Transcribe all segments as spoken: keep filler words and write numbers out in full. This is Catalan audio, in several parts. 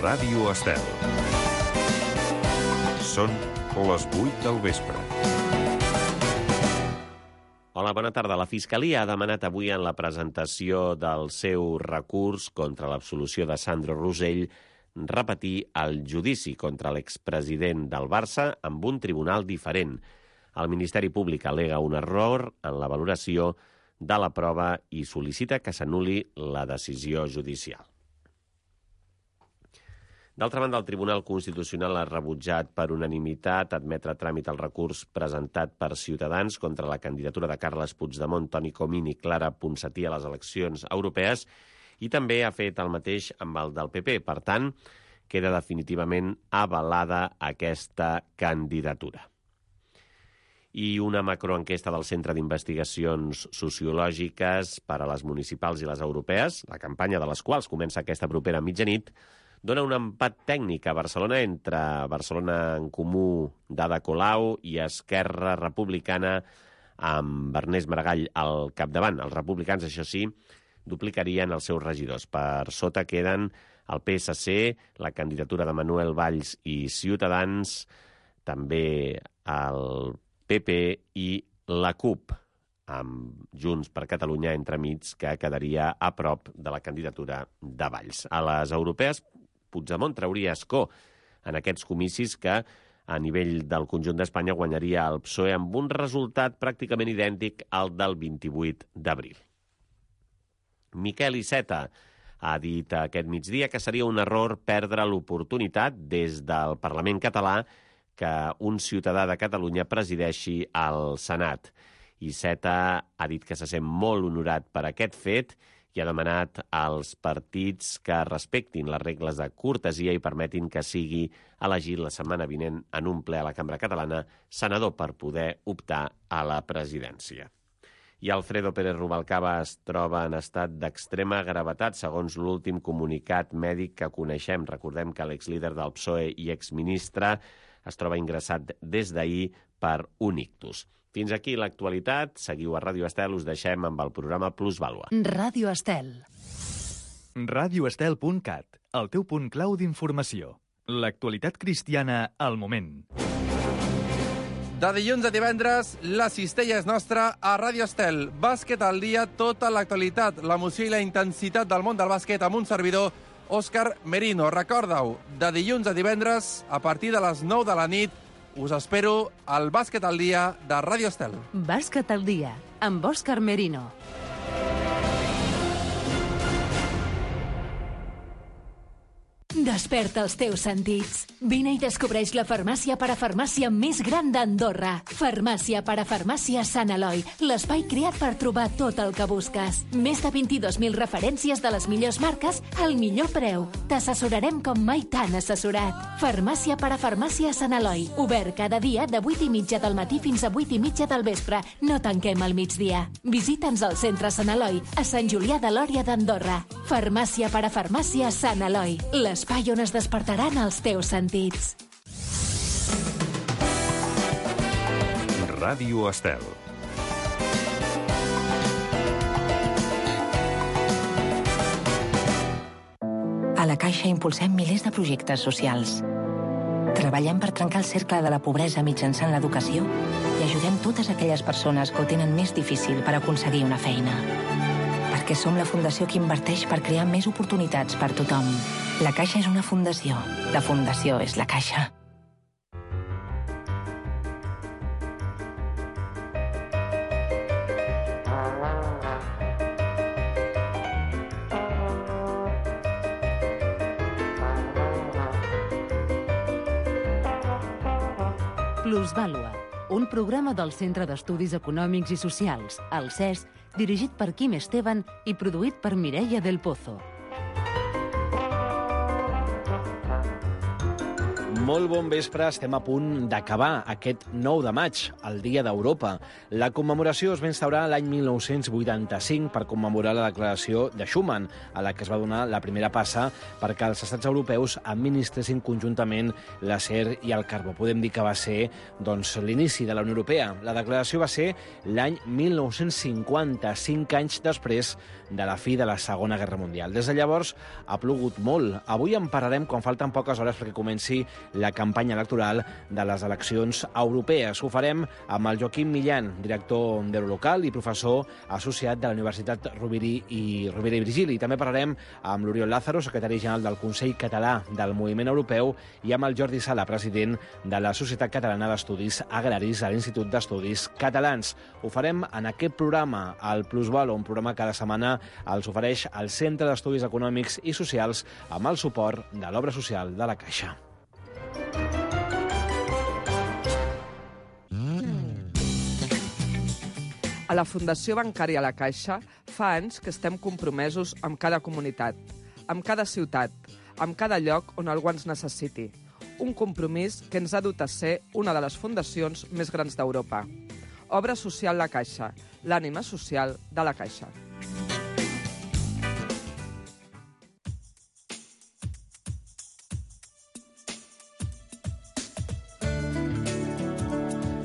Ràdio Estel. Són les vuit del vespre. Hola, bona tarda. La Fiscalia ha demanat avui en la presentació del seu recurs contra l'absolució de Sandro Rosell repetir el judici contra l'expresident del Barça amb un tribunal diferent. El Ministeri Públic al·lega un error en la valoració de la prova i sol·licita que s'anul·li la decisió judicial. D'altra banda, el Tribunal Constitucional ha rebutjat per unanimitat admetre a tràmit el recurs presentat per Ciutadans contra la candidatura de Carles Puigdemont, Toni Comín i Clara Ponsatí a les eleccions europees i també ha fet el mateix amb el del P P. Per tant, queda definitivament avalada aquesta candidatura. I una macroenquesta del Centre d'Investigacions Sociològiques per a les municipals i les europees, la campanya de les quals comença aquesta propera mitjanit, dona un empat tècnic a Barcelona entre Barcelona en Comú d'Ada Colau i Esquerra Republicana amb Ernest Maragall al capdavant. Els republicans, això sí, duplicarien els seus regidors. Per sota queden el P S C, la candidatura de Manuel Valls i Ciutadans, també el P P i la CUP, amb Junts per Catalunya entremig, que quedaria a prop de la candidatura de Valls. A les europees, Puigdemont trauria escó en aquests comicis que, a nivell del conjunt d'Espanya, guanyaria el P S O E amb un resultat pràcticament idèntic al del vint-i-vuit d'abril. Miquel Iceta ha dit aquest migdia que seria un error perdre l'oportunitat des del Parlament català que un ciutadà de Catalunya presideixi el Senat. Iceta ha dit que se sent molt honorat per aquest fet i ha demanat als partits que respectin les regles de cortesia i permetin que sigui elegit la setmana vinent en un ple a la Cambra Catalana senador per poder optar a la presidència. I Alfredo Pérez Rubalcaba es troba en estat d'extrema gravetat, segons l'últim comunicat mèdic que coneixem. Recordem que l'exlíder del P S O E i exministre es troba ingressat des d'ahir per un ictus. Fins aquí l'actualitat. Seguiu a Ràdio Estel. Us deixem amb el programa Plusvàlua. Ràdio Estel. ràdio estel punt cat, el teu punt clau d'informació. L'actualitat cristiana al moment. De dilluns a divendres, la cistella és nostra a Ràdio Estel. Bàsquet al dia, tota l'actualitat, l'emoció i la intensitat del món del bàsquet amb un servidor, Òscar Merino. Recorda-ho, de dilluns a divendres, a partir de les nou de la nit, us espero al Bàsquet al dia de Ràdio Estel. Bàsquet al dia, amb Òscar Merino. Desperta els teus sentits. Vine i descobreix la farmàcia parafarmàcia més gran d'Andorra. Farmàcia parafarmàcia Sant Eloi, l'espai creat per trobar tot el que busques. Més de vint-i-dos mil referències de les millors marques al millor preu. T'assessorarem com mai t'han assessorat. Farmàcia parafarmàcia Sant Eloi, obert cada dia de vuit i mitja del matí fins a vuit i mitja del vespre. No tanquem al migdia. Visita'ns al centre Sant Eloi, a Sant Julià de Lòria d'Andorra. Farmàcia parafarmàcia Sant Eloi, l'espai on es despertaran els teus sentits. Ràdio Estel. A la Caixa impulsem milers de projectes socials. Treballem per trencar el cercle de la pobresa mitjançant l'educació i ajudem totes aquelles persones que ho tenen més difícil per aconseguir una feina. Perquè som la fundació que inverteix per crear més oportunitats per tothom. La Caixa és una fundació. La fundació és la Caixa. Plusvàlua, un programa del Centre d'Estudis Econòmics i Socials, el C E S, dirigit per Quim Esteban i produït per Mireia del Pozo. Molt bon vespre, estem a punt d'acabar aquest nou de maig, el Dia d'Europa. La commemoració es va instaurar l'any mil nou-cents vuitanta-cinc per commemorar la declaració de Schuman, a la que es va donar la primera passa perquè els estats europeus administressin conjuntament l'acer i el carbó. Podem dir que va ser doncs, l'inici de la Unió Europea. La declaració va ser l'any mil nou-cents cinquanta, cinc anys després de la fi de la Segona Guerra Mundial. Des de llavors ha plogut molt. Avui en parlarem quan falten poques hores perquè comenci la campanya electoral de les eleccions europees. Ho farem amb el Joaquim Millan, director d'Eurolocal i professor associat de la Universitat Rovira i, Rovira i Virgili. També parlarem amb l'Oriol Lázaro, secretari general del Consell Català del Moviment Europeu, i amb el Jordi Sala, president de la Societat Catalana d'Estudis Agraris a l'Institut d'Estudis Catalans. Ho farem en aquest programa, el Plusvalo, un programa que cada setmana els ofereix el Centre d'Estudis Econòmics i Socials amb el suport de l'Obra Social de la Caixa. A la Fundació Bancària La Caixa fa anys que estem compromesos amb cada comunitat, amb cada ciutat, amb cada lloc on algú ens necessiti. Un compromís que ens ha dut a ser una de les fundacions més grans d'Europa. Obra Social La Caixa, l'ànima social de la Caixa.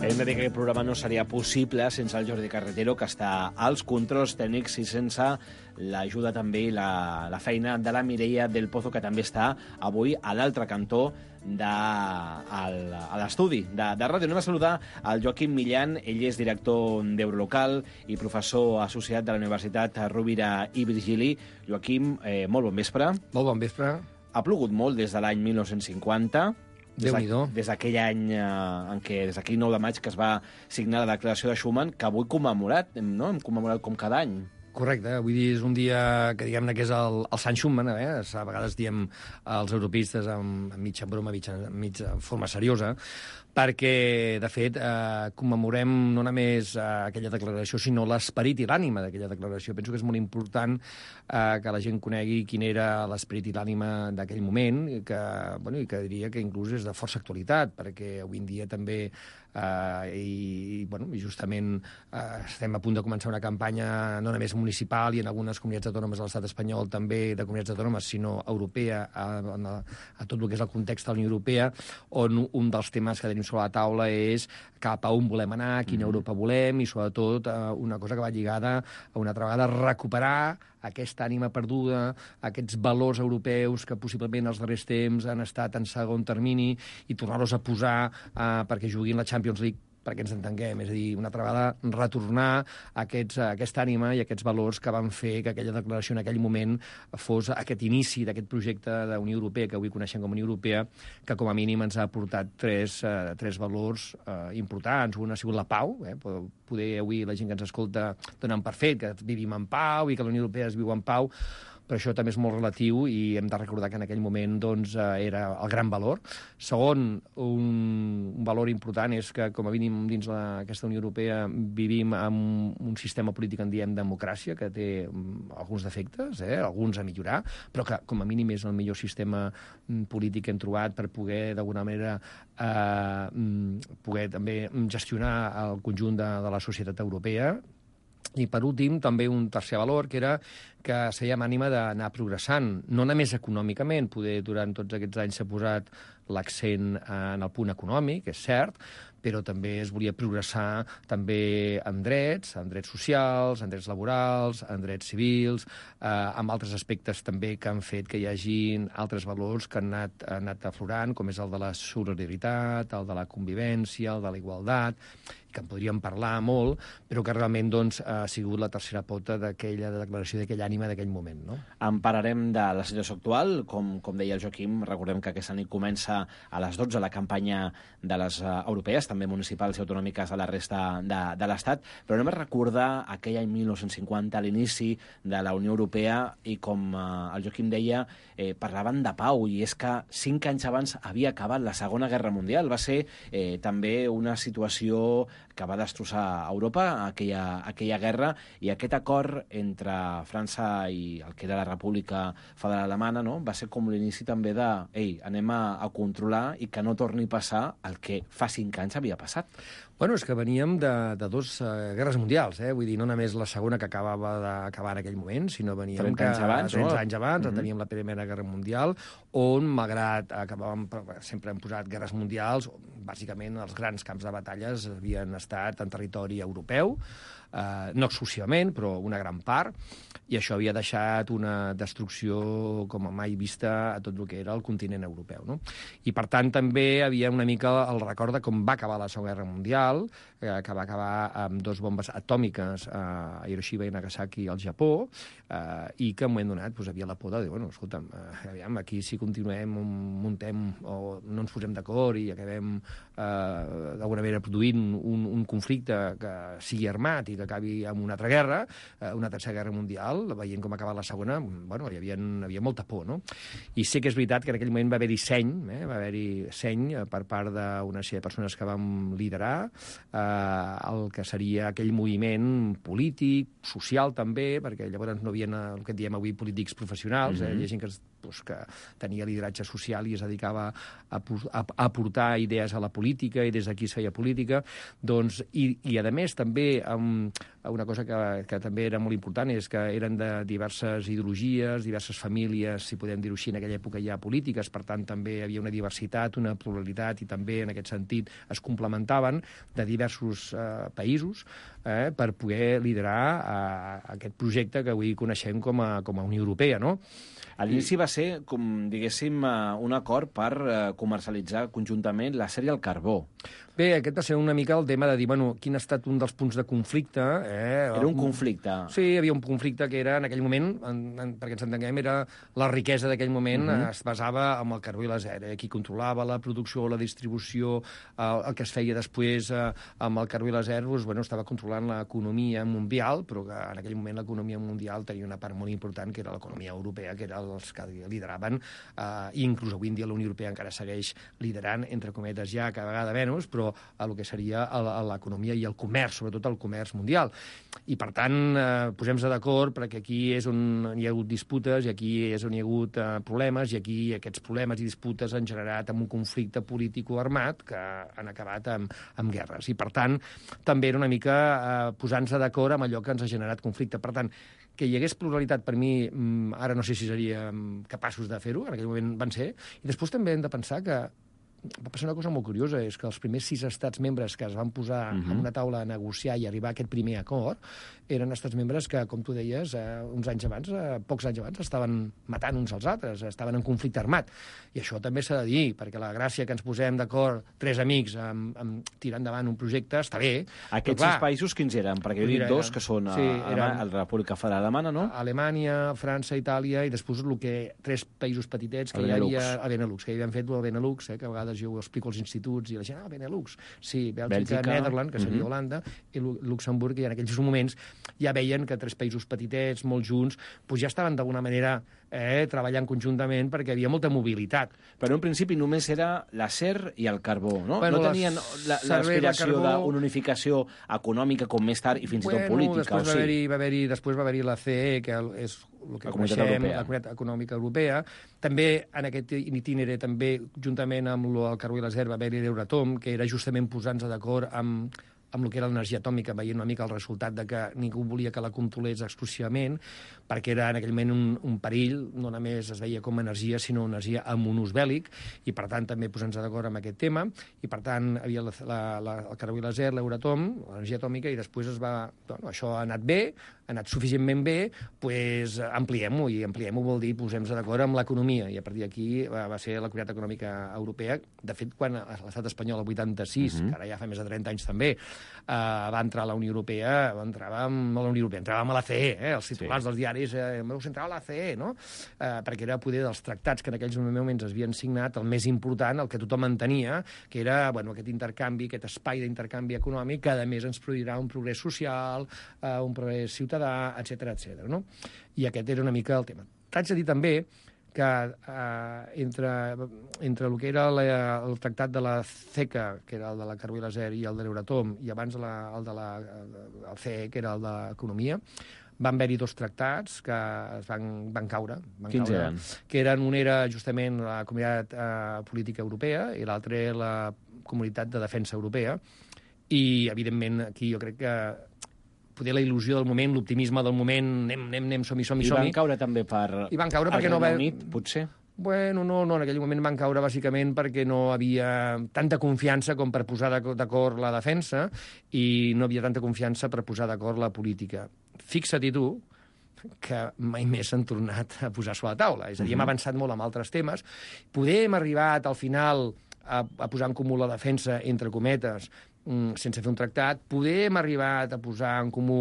Hem de dir que aquest programa no seria possible sense el Jordi Carretero, que està als controls tècnics, i sense l'ajuda també i la, la feina de la Mireia del Pozo, que també està avui a l'altre cantó de, al, a l'estudi de, de ràdio. Anem a saludar el Joaquim Millan. Ell és director d'Eurolocal i professor associat de la Universitat Rovira i Virgili. Joaquim, eh, molt bon vespre. Molt bon vespre. Ha plogut molt des de l'any mil nou-cents cinquanta. Déu-n'hi-do. Des d'aquell any eh, en què, des d'aquell nou de maig que es va signar la declaració de Schuman, que avui commemorat, no? Hem commemorat com cada any. Correcte, vull dir, és un dia que diguem-ne que és el, el Sant Schuman, eh? A vegades diem els europeistes amb, amb mitja broma, mitja, mitja forma seriosa, perquè, de fet, eh, commemorem no només eh, aquella declaració, sinó l'esperit i l'ànima d'aquella declaració. Penso que és molt important eh, que la gent conegui quin era l'esperit i l'ànima d'aquell moment, i que, bueno, i que diria que inclús és de força actualitat, perquè avui en dia també Uh, i, bueno, i justament uh, estem a punt de començar una campanya no només municipal i en algunes comunitats autònomes de l'estat espanyol, també de comunitats autònomes, sinó europea, a, a, a tot el que és el context de la Unió Europea, on un dels temes que tenim sobre la taula és cap a on volem anar, quina Europa volem, i sobretot uh, una cosa que va lligada a una altra vegada recuperar aquesta ànima perduda, aquests valors europeus que possiblement els darrers temps han estat en segon termini, i tornar-los a posar uh, perquè juguin la Champions League, perquè ens entenguem, és a dir, una altra vegada retornar aquests, aquesta ànima i aquests valors que van fer que aquella declaració en aquell moment fos aquest inici d'aquest projecte de Unió Europea, que avui coneixem com a Unió Europea, que com a mínim ens ha aportat tres, eh, tres valors eh, importants. Un ha sigut la pau, eh? Poder avui la gent que ens escolta donen per fet que vivim en pau i que la Unió Europea es viu en pau, però això també és molt relatiu i hem de recordar que en aquell moment doncs, era el gran valor. Segon, un, un valor important és que, com a mínim dins la, aquesta Unió Europea, vivim amb un sistema polític en diem democràcia, que té alguns defectes, eh, alguns a millorar, però que, com a mínim, és el millor sistema polític que hem trobat per poder, d'alguna manera, eh, poder també gestionar el conjunt de, de la societat europea. I, per últim, també un tercer valor, que era que sèiem ànima d'anar progressant, no només econòmicament, poder durant tots aquests anys s'ha posat l'accent en el punt econòmic, és cert, però també es volia progressar també en drets, en drets socials, en drets laborals, en drets civils, eh, amb altres aspectes també que han fet que hi hagin altres valors que han anat, han anat aflorant, com és el de la solidaritat, el de la convivència, el de la igualtat, que en podríem parlar molt, però que realment doncs, ha sigut la tercera pota d'aquella declaració, d'aquella ànima d'aquell moment. No? En parlarem de la situació actual. Com, com deia el Joaquim, recordem que aquesta nit comença a les dotze la campanya de les uh, europees. també municipals i autonòmiques a la resta de, de l'Estat, però anem a recordar aquell any mil nou-cents cinquanta, a l'inici de la Unió Europea, i com eh, el Joaquim deia, eh, parlaven de pau, i és que cinc anys abans havia acabat la Segona Guerra Mundial. Va ser eh, també una situació que va destrossar Europa, aquella, aquella guerra, i aquest acord entre França i el que era la República Federal Alemana, no?, va ser com l'inici també de ei, anem a, a controlar i que no torni a passar el que fa cinc anys havia passat. Bueno, és que veníem de, de dos uh, guerres mundials, eh? Vull dir, no només la segona que acabava d'acabar en aquell moment, sinó veníem trenta anys abans, trenta no? anys abans, Mm-hmm. teníem la Primera Guerra Mundial, on, malgrat acabàvem, sempre hem posat guerres mundials, bàsicament els grans camps de batalles havien estat en territori europeu, eh, no exclusivament, però una gran part, i això havia deixat una destrucció com a mai vista a tot el que era el continent europeu, no? I, per tant, també havia una mica el record de com va acabar la Segona Guerra Mundial, eh, que va acabar amb dos bombes atòmiques eh, a Hiroshima i Nagasaki al Japó, eh, i que en un moment donat doncs, havia la por de dir, bueno, escolta'm, eh, aviam, aquí si continuem, muntem o no ens posem d'acord i acabem eh, d'alguna manera produint un, un conflicte que sigui armat i que acabi amb una altra guerra, eh, una tercera guerra mundial, veient com ha acabat la segona, bueno, hi havia, hi havia molta por, no? I sé que és veritat que en aquell moment va haver-hi seny, eh, va haver-hi seny per part d'una sèrie de persones que vam liderar eh, el que seria aquell moviment polític, social també, perquè llavors no havia el que en diem avui polítics professionals, mm-hmm. eh, hi ha gent que, doncs, que tenia lideratge social i es dedicava a, a, a aportar idees a la política i des d'aquí es feia política, doncs, i, i a més també amb una cosa que, que també era molt important és que eren de diverses ideologies, diverses famílies, si podem dir-ho així, en aquella època ja polítiques, per tant també hi havia una diversitat, una pluralitat, i també en aquest sentit es complementaven de diversos eh, països eh, per poder liderar eh, aquest projecte que avui coneixem com a, com a Unió Europea, no? A l'inici va ser, com diguéssim, un acord per comercialitzar conjuntament l'acer i el carbó. Bé, aquest va ser una mica el tema de dir, bueno, quin ha estat un dels punts de conflicte. Eh? Era un conflicte. Sí, hi havia un conflicte que era, en aquell moment, en, en, perquè ens entenguem, era la riquesa d'aquell moment uh-huh. es basava en el carbó i l'acer. Eh? Qui controlava la producció, la distribució, eh, el que es feia després eh, amb el carbó i l'acer, doncs, bueno, estava controlant l'economia mundial, però que en aquell moment l'economia mundial tenia una part molt important, que era l'economia europea, que eren els que lideraven, eh, i inclús avui en dia la Unió Europea encara segueix liderant, entre cometes ja, cada vegada menys, però a el que seria l'economia i el comerç, sobretot el comerç mundial. I, per tant, eh, posem-nos d'acord perquè aquí és on hi ha hagut disputes i aquí és on hi ha hagut eh, problemes i aquí aquests problemes i disputes han generat amb un conflicte polític o armat que han acabat amb, amb guerres. I, per tant, també era una mica eh, posar-nos d'acord amb allò que ens ha generat conflicte. Per tant, que hi hagués pluralitat per mi, ara no sé si seríem capaços de fer-ho, en aquell moment van ser, i després també hem de pensar que va passar una cosa molt curiosa, és que els primers sis estats membres que es van posar uh-huh. en una taula a negociar i arribar a aquest primer acord eren estats membres que, com tu deies, eh, uns anys abans, eh, pocs anys abans, estaven matant uns als altres, estaven en conflicte armat. I això també s'ha de dir, perquè la gràcia que ens posem d'acord tres amics amb, amb tirar endavant un projecte està bé. Aquests clar, sis països quins eren? Perquè jo he dit dos, que són sí, a, a la República Federal Alemana, no? Alemanya, França, Itàlia, i després el que tres països petitets que el hi havia... El Benelux, que hi havien fet el Benelux, eh, que a vegades jo ho explico als instituts i la gent, ah, Benelux. Sí, Bèlgica, Bèlgica. Nederland, que seria uh-huh. Holanda, i Luxemburg, i en aquells moments ja veien que tres països petitets, molt junts, doncs ja estaven d'alguna manera eh, treballant conjuntament perquè hi havia molta mobilitat. Però en principi només era l'acer i el carbó, no? Bueno, no tenien l'aspiració carbó... d'una unificació econòmica com més tard i fins bueno, i tot política. Després, o va sí? haver-hi, va haver-hi, després va haver-hi la C E, que és el que la coneixem, la Comunitat Econòmica Europea. També en aquest itinerari, també juntament amb el carbó i l'acer, va haver-hi l'Euratom, que era justament posar-nos d'acord amb amb el que era l'energia atòmica, veient una mica el resultat de que ningú volia que la controlés exclusivament, perquè era en aquell moment un, un perill, no només es veia com a energia, sinó energia amb un ús bèl·lic, i per tant també posar-nos d'acord amb aquest tema, i per tant havia la, la, la, el carbó i l'acer, l'Euratom, l'energia atòmica, i després es va... Bueno, això ha anat bé, ha anat suficientment bé, doncs ampliem-ho, i ampliem-ho vol dir posem-nos d'acord amb l'economia, i a partir d'aquí va, va ser la Comunitat Econòmica Europea. De fet, quan l'estat espanyol, el vuitanta-sis, uh-huh. que ara ja fa més de trenta anys també, eh, va entrar a la Unió Europea, va entrar a la Unió Europea, entràvem a la C E, eh, els titulars sí. dels diaris, eh, heu entrat a la C E, no? Eh, perquè era poder dels tractats que en aquells moments es havien signat, el més important, el que tothom entenia, que era bueno, aquest intercanvi, aquest espai d'intercanvi econòmic, que a més ens produirà un progrés social, eh, un progrés ciutadà, etcètera, etcètera, no? I aquest era una mica el tema. T'haig de dir també que eh, entre, entre el que era la, el tractat de la CECA, que era el de la carbó i l'acer, i el de l'Euratom, i abans la, el de la el C E, que era el d'Economia, van haver-hi dos tractats que es van, van caure. Van Quins caure, eren? Que eren, un era justament la Comunitat eh, Política Europea i l'altre la Comunitat de Defensa Europea. I, evidentment, aquí jo crec que poder la il·lusió del moment, l'optimisme del moment, anem, anem, anem, som-hi, som-hi, som-hi. I van caure també per... I van caure perquè el no va... Regne Unit, potser? Bueno, no, no, en aquell moment van caure bàsicament perquè no havia tanta confiança com per posar d'acord la defensa i no havia tanta confiança per posar d'acord la política. Fixa't tu que mai més s'han tornat a posar sobre la taula. És a dir, hem avançat molt amb altres temes. Poder hem arribat al final a, a posar en comú la defensa, entre cometes, sense fer un tractat. Poder hem arribat a posar en comú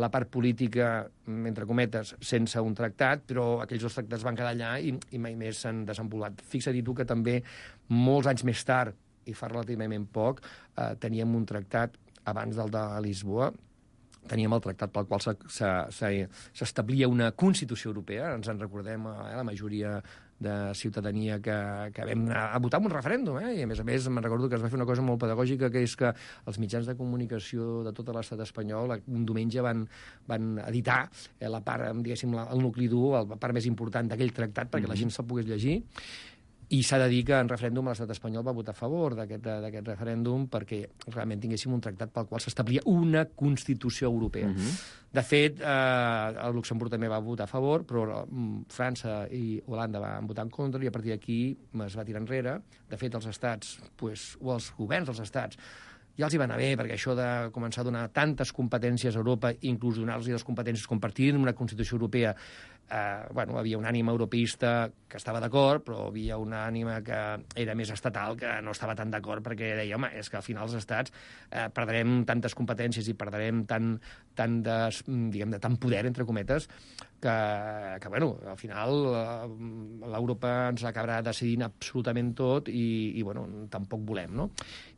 la part política, entre cometes, sense un tractat, però aquells dos tractats van quedar allà i, i mai més s'han desenvolupat. Fixa't tu que també, molts anys més tard, i fa relativament poc, eh, teníem un tractat abans del de Lisboa, teníem el tractat pel qual s'establia una Constitució europea, ens en recordem, eh, la majoria de ciutadania que, que vam anar a votar en un referèndum, eh? I a més a més me'n recordo que es va fer una cosa molt pedagògica, que és que els mitjans de comunicació de tot l'estat espanyol un diumenge van, van editar eh, la part, diguéssim, la, el nucli dur, la part més important d'aquell tractat, perquè mm-hmm. la gent se'l pogués llegir. I s'ha de dir que en referèndum l'estat espanyol va votar a favor d'aquest referèndum perquè realment tinguéssim un tractat pel qual s'establia una Constitució europea. Uh-huh. De fet, eh, el Luxemburg també va votar a favor, però mm, França i Holanda van votar en contra i a partir d'aquí es va tirar enrere. De fet, els estats, pues, o els governs dels estats, ja els hi va anar bé, perquè això de començar a donar tantes competències a Europa, inclús donar-los les competències compartir en una Constitució europea, eh, bueno, havia una ànima europeista que estava d'acord, però havia una ànima que era més estatal que no estava tan d'acord, perquè deia, home, és que al final els estats eh, perdrem tantes competències i perdrem tant, tant, de, diguem, de tant poder, entre cometes, que, que bueno, al final eh, l'Europa ens acabarà decidint absolutament tot i, i bueno, tampoc volem, no?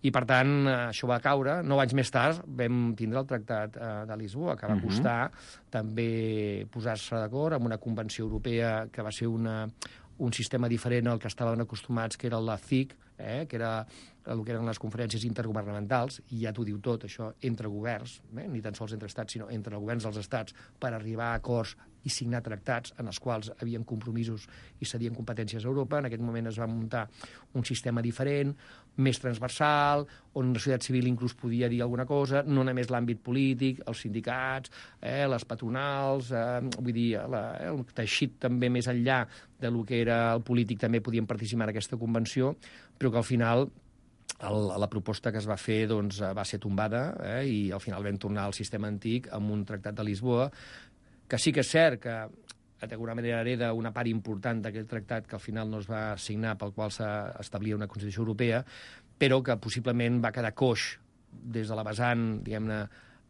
I, per tant, això va caure. Nou anys més tard vam tindre el Tractat eh, de Lisboa, que va costar uh-huh. també posar-se d'acord amb una convenció europea que va ser una, un sistema diferent al que estaven acostumats, que era la C I C, eh, que era el que eren les conferències intergovernamentals, i ja t'ho diu tot, això, entre governs, eh, ni tan sols entre estats, sinó entre governs dels estats, per arribar a acords i signar tractats en els quals havien compromisos i cedien competències a Europa. En aquest moment es va muntar un sistema diferent, més transversal, on la societat civil inclús podia dir alguna cosa, no només l'àmbit polític, els sindicats, eh, les patronals, eh, vull dir, la, eh, el teixit també més enllà de lo que era el polític també podien participar en aquesta convenció, però que al final el, la proposta que es va fer doncs, va ser tombada eh, i al final vam tornar al sistema antic amb un tractat de Lisboa, que sí que és cert que d'alguna manera hereda una part important d'aquest tractat que al final no es va signar, pel qual s'establia una Constitució Europea, però que possiblement va quedar coix des de la vessant, diguem-ne,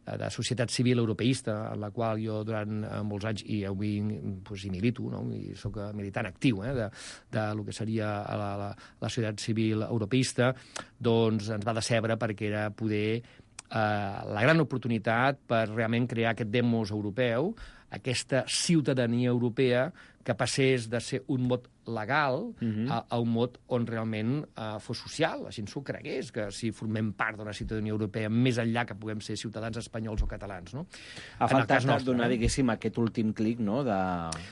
de societat civil europeista, en la qual jo durant molts anys, i avui pues, hi milito, no? I soc militant actiu eh, de, de lo que seria la, la, la societat civil europeista, doncs ens va decebre perquè era poder eh, la gran oportunitat per realment crear aquest demos europeu, aquesta ciutadania europea que passés de ser un mot legal uh-huh. a, a un mot on realment uh, fos social, la gent s'ho cregués, que si formem part d'una ciutadania europea més enllà que puguem ser ciutadans espanyols o catalans. No? Ha faltat donar, diguéssim, aquest últim clic, no?, de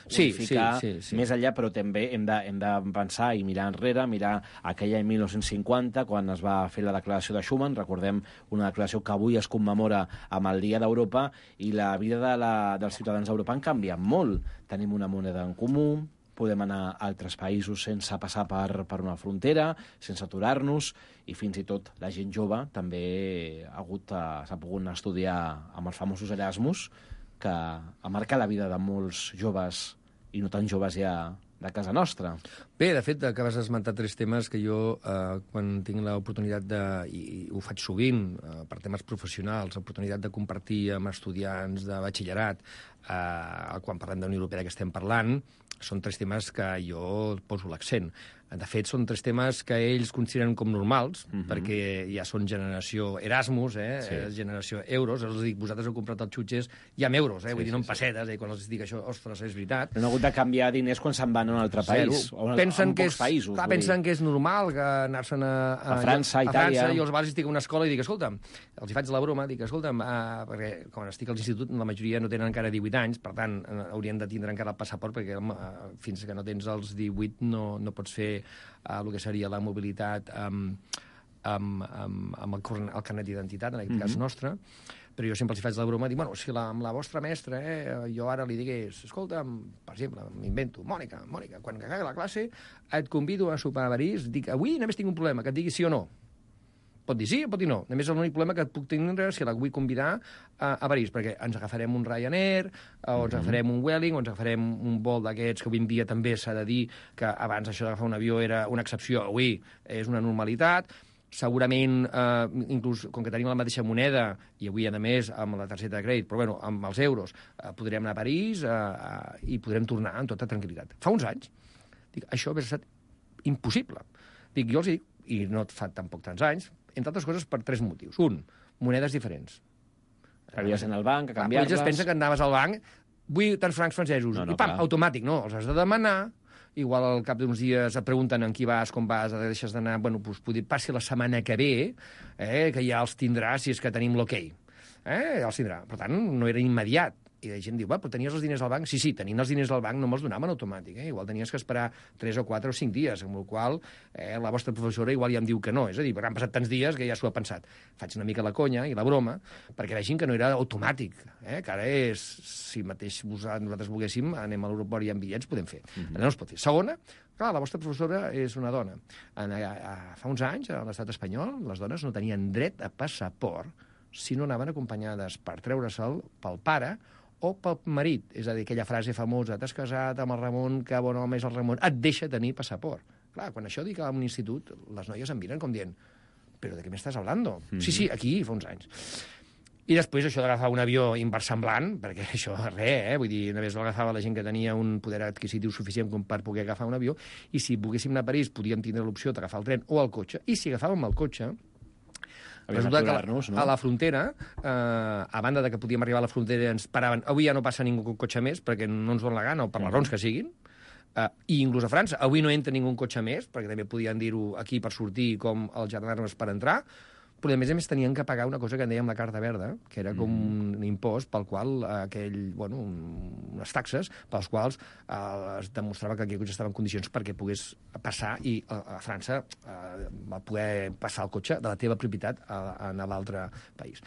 sí, unificar sí, sí, sí. més enllà, però també hem de, hem de pensar i mirar enrere, mirar aquell any mil nou-cents cinquanta, quan es va fer la declaració de Schuman, recordem una declaració que avui es commemora amb el Dia d'Europa, i la vida de la, dels ciutadans d'Europa han canviat molt. Tenim una moneda en comú, podem anar a altres països sense passar per, per una frontera, sense aturar-nos, i fins i tot la gent jove també ha hagut, s'ha pogut estudiar amb els famosos Erasmus, que ha marcat la vida de molts joves, i no tan joves ja, de casa nostra. Bé, de fet, acabes d'esmentar tres temes que jo, eh, quan tinc l'oportunitat de, i, i ho faig sovint, eh, per temes professionals, l'oportunitat de compartir amb estudiants de batxillerat, eh, quan parlem de Unió Europea que estem parlant, són tres temes que jo poso l'accent. De fet, són tres temes que ells consideren com normals, uh-huh. perquè ja són generació Erasmus, eh? Sí. generació euros. Els dic, vosaltres heu comprat els xutxes ja amb euros, eh? Sí, vull dir, no en pessetes, eh? Quan els dic això, ostres, és veritat. Però no ha hagut de canviar diners quan se'n van a un altre país, o a, pensen a que pocs és, països. Clar, pensen que és normal que anar-se'n a, a, a França, a Itàlia... França, i els vals estic a una escola i dic, escolta'm, els hi faig la broma, dic, escolta'm, uh, perquè quan estic a l'institut la majoria no tenen encara divuit anys, per tant, uh, haurien de tindre encara el passaport, perquè uh, fins que no tens els divuit no, no pots fer uh, el que seria la mobilitat amb, amb, amb, amb el, el carnet d'identitat, en aquest mm-hmm. cas nostre, però jo sempre els faig la broma, dic, bueno, si la, amb la vostra mestra, eh, jo ara li digués, escolta, per exemple, m'invento, Mònica, Mònica, quan acabi la classe et convido a sopar a París, dic, avui només tinc un problema, que et digui sí o no. Pot dir sí o pot dir no. Només l'únic problema que et puc tindre si la vull convidar a, a París, perquè ens agafarem un Ryanair, o ens agafarem un Vueling, o ens agafarem un vol d'aquests que avui en dia també s'ha de dir que abans això d'agafar un avió era una excepció, avui és una normalitat. Segurament, eh, inclús, com que tenim la mateixa moneda, i avui, a més, amb la targeta de crèdit, però bueno, amb els euros, eh, podrem anar a París eh, eh, i podrem tornar amb tota tranquil·litat. Fa uns anys, dic, això hauria estat impossible. Dic, jo els dic, i no fa tampoc tants anys, entre altres coses per tres motius. Un, monedes diferents. Havies d'anar al banc, a canviar-les... Ells pensen que anaves al banc, vull tants francs francesos, no, no, i pam, clar. automàtic, no, els has de demanar, igual al cap d'uns dies et pregunten en qui vas, com vas, deixes d'anar, bueno, doncs poder passi la setmana que ve, eh, que ja els tindrà si és que tenim l'ok. Eh, ja els tindrà. Per tant, no era immediat. I la gent diu, va, però tenies els diners al banc? Sí, sí, tenint els diners al banc no me'ls donaven automàtic, eh? Igual tenies que esperar tres o quatre o cinc dies, amb el qual eh, la vostra professora igual ja em diu que no. És a dir, perquè han passat tants dies que ja s'ho ha pensat. Faig una mica la conya i la broma perquè vegin que no era automàtic, eh? Que ara és, si mateix nosaltres volguéssim, anem a l'aeroport i hi ha bitllets, podem fer. Mm-hmm. No es pot fer. Segona, clar, la vostra professora és una dona. En, a, a, fa uns anys, a l'estat espanyol, les dones no tenien dret a passaport si no anaven acompanyades per treure-se'l pel pare o pel marit. És a dir, aquella frase famosa, t'has casat amb el Ramon, que bon home és el Ramon, et deixa tenir passaport. Clar, quan això dic a un institut, les noies em miren com dient, però de què m'estàs hablando? Mm-hmm. Sí, sí, aquí, fa uns anys. I després això d'agafar un avió inversemblant, perquè això res, eh? Vull dir, només l'agafava la gent que tenia un poder adquisitiu suficient com per poder agafar un avió, i si volguéssim anar a París podíem tindre l'opció d'agafar el tren o el cotxe, i si agafàvem el cotxe, resulta que no? a la frontera, eh, a banda de que podíem arribar a la frontera, ens paraven, avui ja no passa ningú con cotxe més, perquè no ens dona la gana, o per les raons que siguin, eh, i inclús a França, avui no entra ningú cotxe més, perquè també podien dir-ho aquí per sortir com els gendarmes per entrar, però a més a més tenien que pagar una cosa que en dèiem la carta verda, que era com mm. un impost pel qual aquell, bueno, un, unes taxes pels quals eh, es demostrava que aquell cotxe estava en condicions perquè pogués passar i a, a França eh, va poder passar el cotxe de la teva propietat a, a, a l'altre país.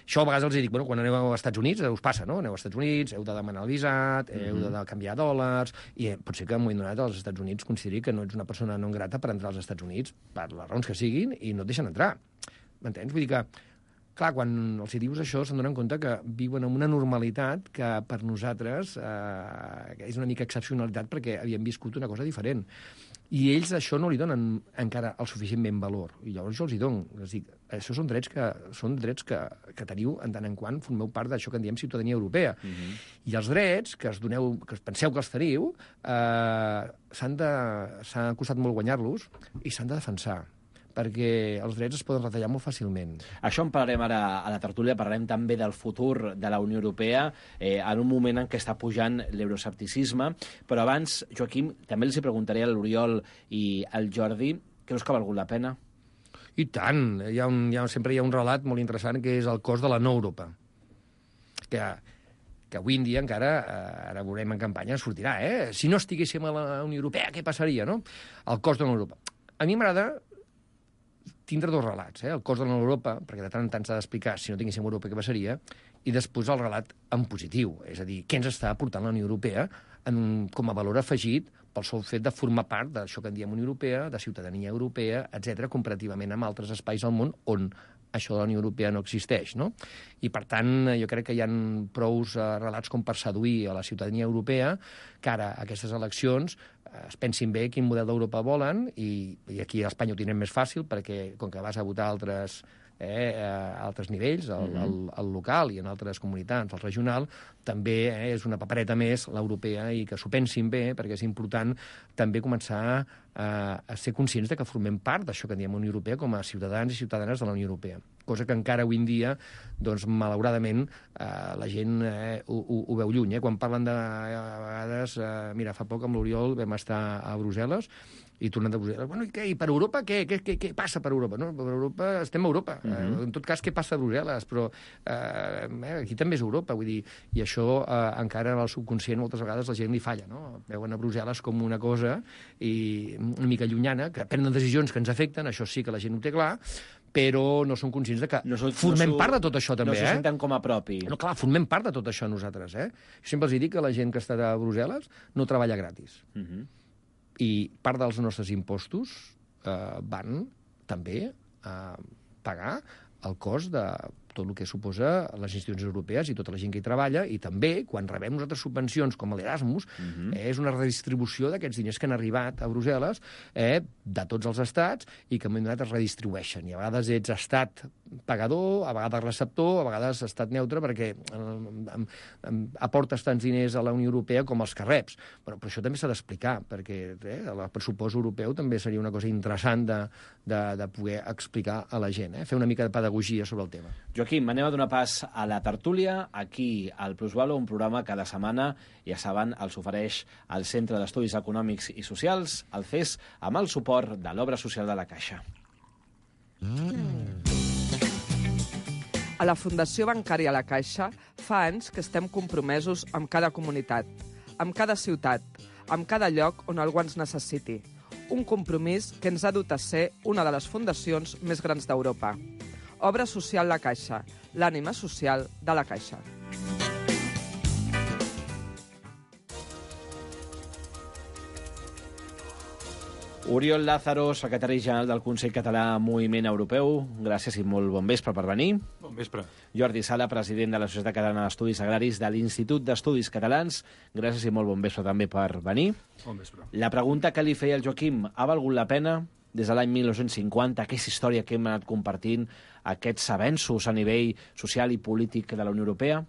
Això a vegades els dic, bueno, quan aneu als Estats Units us passa, no? Aneu als Estats Units, heu de demanar el visat, heu mm. de canviar dòlars, i eh, pot ser que en un moment donat als Estats Units consideri que no ets una persona no grata per entrar als Estats Units per les raons que siguin i no et deixen entrar. M'entens? Vull dir que, clar, quan els hi dius això, se'n donen compte que viuen en una normalitat que per nosaltres eh, és una mica excepcionalitat perquè havíem viscut una cosa diferent. I ells això no li donen encara el suficientment valor. I llavors jo els hi dono. És dir, això són drets que, són drets que, que teniu en tant en quant formeu part d'això que en diem ciutadania europea. Mm-hmm. I els drets que es doneu, que penseu que els teniu, eh, s'han de, s'ha costat molt guanyar-los i s'han de defensar, perquè els drets es poden retallar molt fàcilment. Això en parlarem ara a la tertúlia, parlarem també del futur de la Unió Europea, eh, en un moment en què està pujant l'euroscepticisme, però abans, Joaquim, també els hi preguntaré a l'Oriol i al Jordi, creus que ha valgut la pena? I tant! Hi ha un, hi ha, sempre hi ha un relat molt interessant que és el cost de la no Europa. Que, que avui en dia encara, eh, ara veurem en campanya, sortirà, eh? Si no estiguéssim a la Unió Europea, què passaria, no? El cost de la Europa. A mi m'agrada tindre dos relats, eh? El cost de l'Europa, perquè de tant en tant s'ha d'explicar si no tinguéssim Europa què passaria, i després el relat en positiu, és a dir, què ens està aportant la Unió Europea en, com a valor afegit pel sol fet de formar part d'això que en diem Unió Europea, de ciutadania europea, etcètera, comparativament amb altres espais al món on això de la Unió Europea no existeix, no? I, per tant, jo crec que hi ha prous uh, relats com per seduir a la ciutadania europea que ara aquestes eleccions uh, es pensin bé quin model d'Europa volen i, i aquí a Espanya ho tindrem més fàcil perquè, com que vas a votar altres eh, a altres nivells, al, mm-hmm. al, al local i en altres comunitats, al regional, també eh, és una papereta més l'europea i que s'ho pensin bé, perquè és important també començar a, a ser conscients de que formem part d'això que diem Unió Europea com a ciutadans i ciutadanes de la Unió Europea. Cosa que encara avui en dia, doncs, malauradament, eh, la gent eh, ho, ho, ho veu lluny. Eh? Quan parlen de, a vegades, eh, mira, fa poc amb l'Oriol vam estar a Brussel·les i tornant de Brussel·les, bueno, i, què, i per Europa què? Què, què, què passa per Europa? No, per Europa estem a Europa. Uh-huh. eh, en tot cas, què passa a Brussel·les? Però eh, aquí també és Europa, vull dir, i això eh, encara en el subconscient moltes vegades la gent li falla, no? Veuen a Brussel·les com una cosa i una mica llunyana, que prenen decisions que ens afecten, això sí que la gent ho té clar, però no són conscients de que no so, formem no so, part de tot això, també, no eh? No se senten com a propi. No, clar, formem part de tot això nosaltres, eh? Jo sempre els dic que la gent que està a Brussel·les no treballa gratis. Uh-huh. I part dels nostres impostos eh, van també a pagar el cost de tot el que suposa les institucions europees i tota la gent que hi treballa, i també, quan rebem nosaltres subvencions com l'Erasmus, uh-huh. eh, és una redistribució d'aquests diners que han arribat a Brussel·les eh, de tots els estats i que en un moment donat es redistribueixen. I a vegades ets estat pagador, a vegades receptor, a vegades estat neutre, perquè eh, aportes tants diners a la Unió Europea com els que reps. Bueno, però això també s'ha d'explicar, perquè eh, el pressupost europeu també seria una cosa interessant de, de, de poder explicar a la gent, eh? Fer una mica de pedagogia sobre el tema. Joaquim, anem a donar pas a la tertúlia. Aquí, al Plusvalo, un programa cada setmana, ja saben, els ofereix el Centre d'Estudis Econòmics i Socials, el C E S, amb el suport de l'Obra Social de la Caixa. Mm. A la Fundació Bancària La Caixa fa anys que estem compromesos amb cada comunitat, amb cada ciutat, amb cada lloc on algú ens necessiti. Un compromís que ens ha dut a ser una de les fundacions més grans d'Europa. Obra Social La Caixa, l'ànima social de la Caixa. Oriol Lázaro, secretari general del Consell Català Moviment Europeu, gràcies i molt bon vespre per venir. Bon vespre. Jordi Sala, president de la Societat Catalana d'Estudis Agraris de l'Institut d'Estudis Catalans, gràcies i molt bon vespre també per venir. Bon vespre. La pregunta que li feia el Joaquim, ha valgut la pena des de l'any mil nou-cents cinquanta, aquesta història que hem anat compartint, aquests avenços a nivell social i polític de la Unió Europea?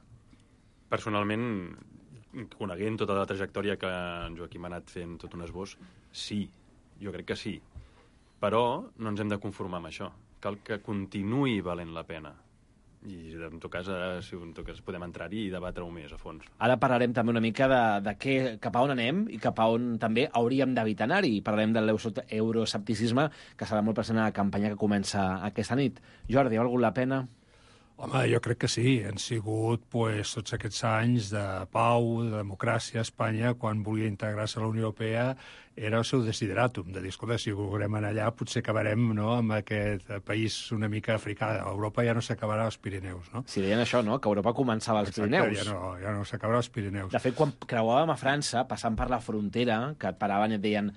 Personalment, coneguent tota la trajectòria que en Joaquim ha anat fent tot un esbós, sí, jo crec que sí. Però no ens hem de conformar amb això. Cal que continuï valent la pena. I en tot cas, ara, si en tot cas podem entrar-hi i debatre-ho més a fons. Ara parlarem també una mica de, de què, cap a on anem i cap a on també hauríem d'evitar anar-hi. Parlarem de l'euroscepticisme, que serà molt present a la campanya que comença aquesta nit. Jordi, ha valgut la pena? Home, jo crec que sí. Han sigut pues, tots aquests anys de pau, de democràcia a Espanya, quan volia integrar-se a la Unió Europea, era el seu desideratum, de dir, escolta, si volem anar allà potser acabarem no, amb aquest país una mica africà. Europa ja no s'acabarà als Pirineus, no? Si deien això, no?, que Europa començava als Exacte, Pirineus. ja no, ja no s'acabarà als Pirineus. De fet, quan creuàvem a França, passant per la frontera, que et paraven i et deien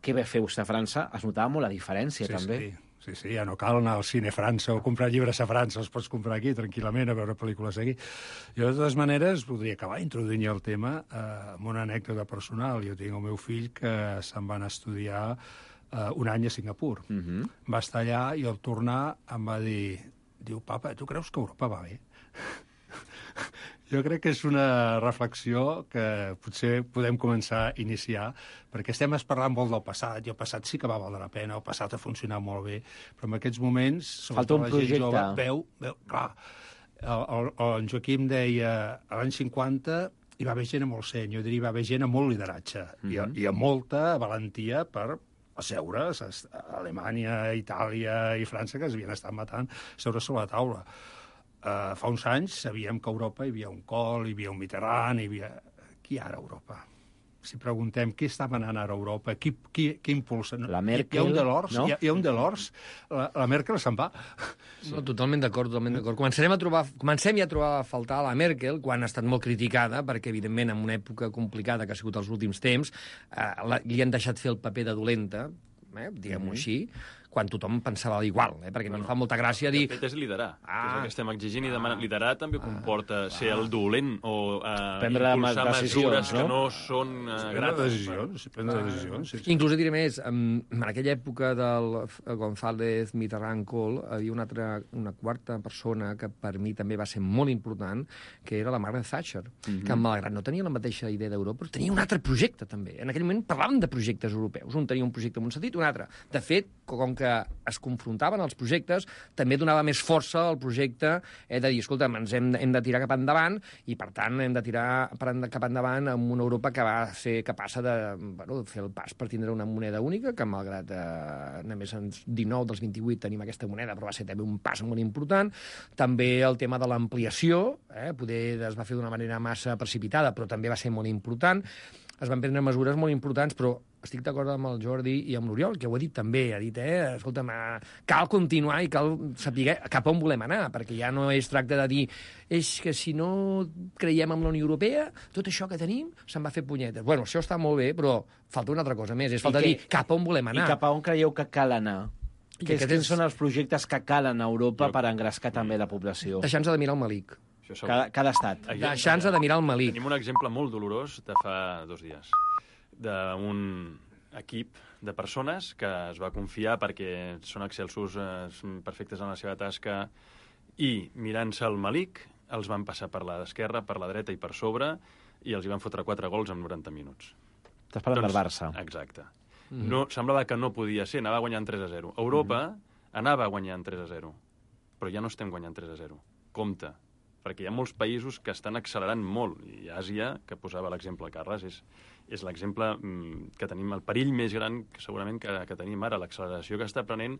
què ve fer vostè a França, es notava molt la diferència, sí, també. Sí. Sí, sí, ja no cal anar al cine a França o comprar llibres a França, els pots comprar aquí tranquil·lament, a veure pel·lícules aquí. Jo, de totes maneres, voldria acabar introduint el tema eh, amb una anècdota personal. Jo tinc el meu fill que se'n va anar a estudiar eh, un any a Singapur. Uh-huh. Va estar allà i al tornar em va dir, diu, papa, tu creus que Europa va bé? Jo crec que és una reflexió que potser podem començar a iniciar, perquè estem parlant molt del passat, i el passat sí que va valer la pena, el passat ha funcionat molt bé, però en aquests moments, falta un projecte. Jove, veu, veu, clar, el, el, el Joaquim deia, a l'any cinquanta hi va haver gent amb molt seny, jo diria hi va haver gent amb molt lideratge, mm-hmm. i, i amb molta valentia per asseure's a Alemanya, Itàlia i França, que es havien estat matant, seure sobre la taula. Uh, fa uns anys sabíem que a Europa hi havia un Kohl, hi havia un Mitterrand, hi havia... Qui ara a Europa? Si preguntem què està manant ara a Europa, qui, qui, qui impulsa... La Merkel, hi ha un Delors, no? Hi ha, hi ha un Delors, la, la Merkel se'n va. No, totalment d'acord, totalment d'acord. Comencem, a trobar, comencem ja a trobar a faltar la Merkel, quan ha estat molt criticada, perquè, evidentment, en una època complicada que ha sigut els últims temps, eh, la, li han deixat fer el paper de dolenta, eh, diguem-ho mm-hmm. així, quan tothom pensava igual, eh? perquè no, no em fa molta gràcia dir... De fet, és liderar, ah, que és el que estem exigint i demanant. Ah, liderar també comporta ah, ser el dolent o eh, prendre impulsar mesures no? que no són eh, grates. Decisions, prendre decisions. Sí. Inclús diré més, en, en aquella època del González Mitterrand Kohl havia una altra, una quarta persona que per mi també va ser molt important, que era la Margaret Thatcher, mm-hmm. que malgrat no tenia la mateixa idea d'Europa, però tenia un altre projecte també. En aquell moment parlàvem de projectes europeus. Un tenia un projecte en un sentit, un altre. De fet, com que es confrontaven els projectes, també donava més força al projecte eh, de dir, escolta, ens hem, hem de tirar cap endavant i, per tant, hem de tirar cap endavant amb una Europa que va ser capaç de bueno, fer el pas per tindre una moneda única, que malgrat eh, només en dinou dels vint-i-vuit tenim aquesta moneda, però va ser també un pas molt important. També el tema de l'ampliació, eh, poder es va fer d'una manera massa precipitada, però també va ser molt important. Es van prendre mesures molt importants, però estic d'acord amb el Jordi i amb l'Oriol, que ho ha dit també, ha dit, eh, escolta'm, cal continuar i cal saber cap on volem anar, perquè ja no es tracta de dir és que si no creiem en la Unió Europea, tot això que tenim se'n va fer punyetes. Bueno, això està molt bé, però falta una altra cosa més, és falta que, dir cap on volem anar. I cap a on creieu que cal anar? Que Quins és... són els projectes que calen a Europa jo... per engrescar també la població? Deixant-se de mirar el Malik. Cada, cada estat. Deixant-se de mirar el Malik. Tenim un exemple molt dolorós de fa dos dies, d'un equip de persones que es va confiar perquè són excelsos, eh, perfectes en la seva tasca, i mirant-se el Malik els van passar per l'esquerra, per la dreta i per sobre, i els hi van fotre quatre gols en noranta minuts. Estàs parlant doncs, del Barça. Exacte. Mm-hmm. No, semblava que no podia ser, anava guanyant tres a zero. Europa mm-hmm. anava guanyant tres a zero, però ja no estem guanyant tres a zero. Compte, perquè hi ha molts països que estan accelerant molt, i Àsia, que posava l'exemple Carles, és, és l'exemple mm, que tenim, el perill més gran que segurament que, que tenim ara, l'acceleració que està prenent.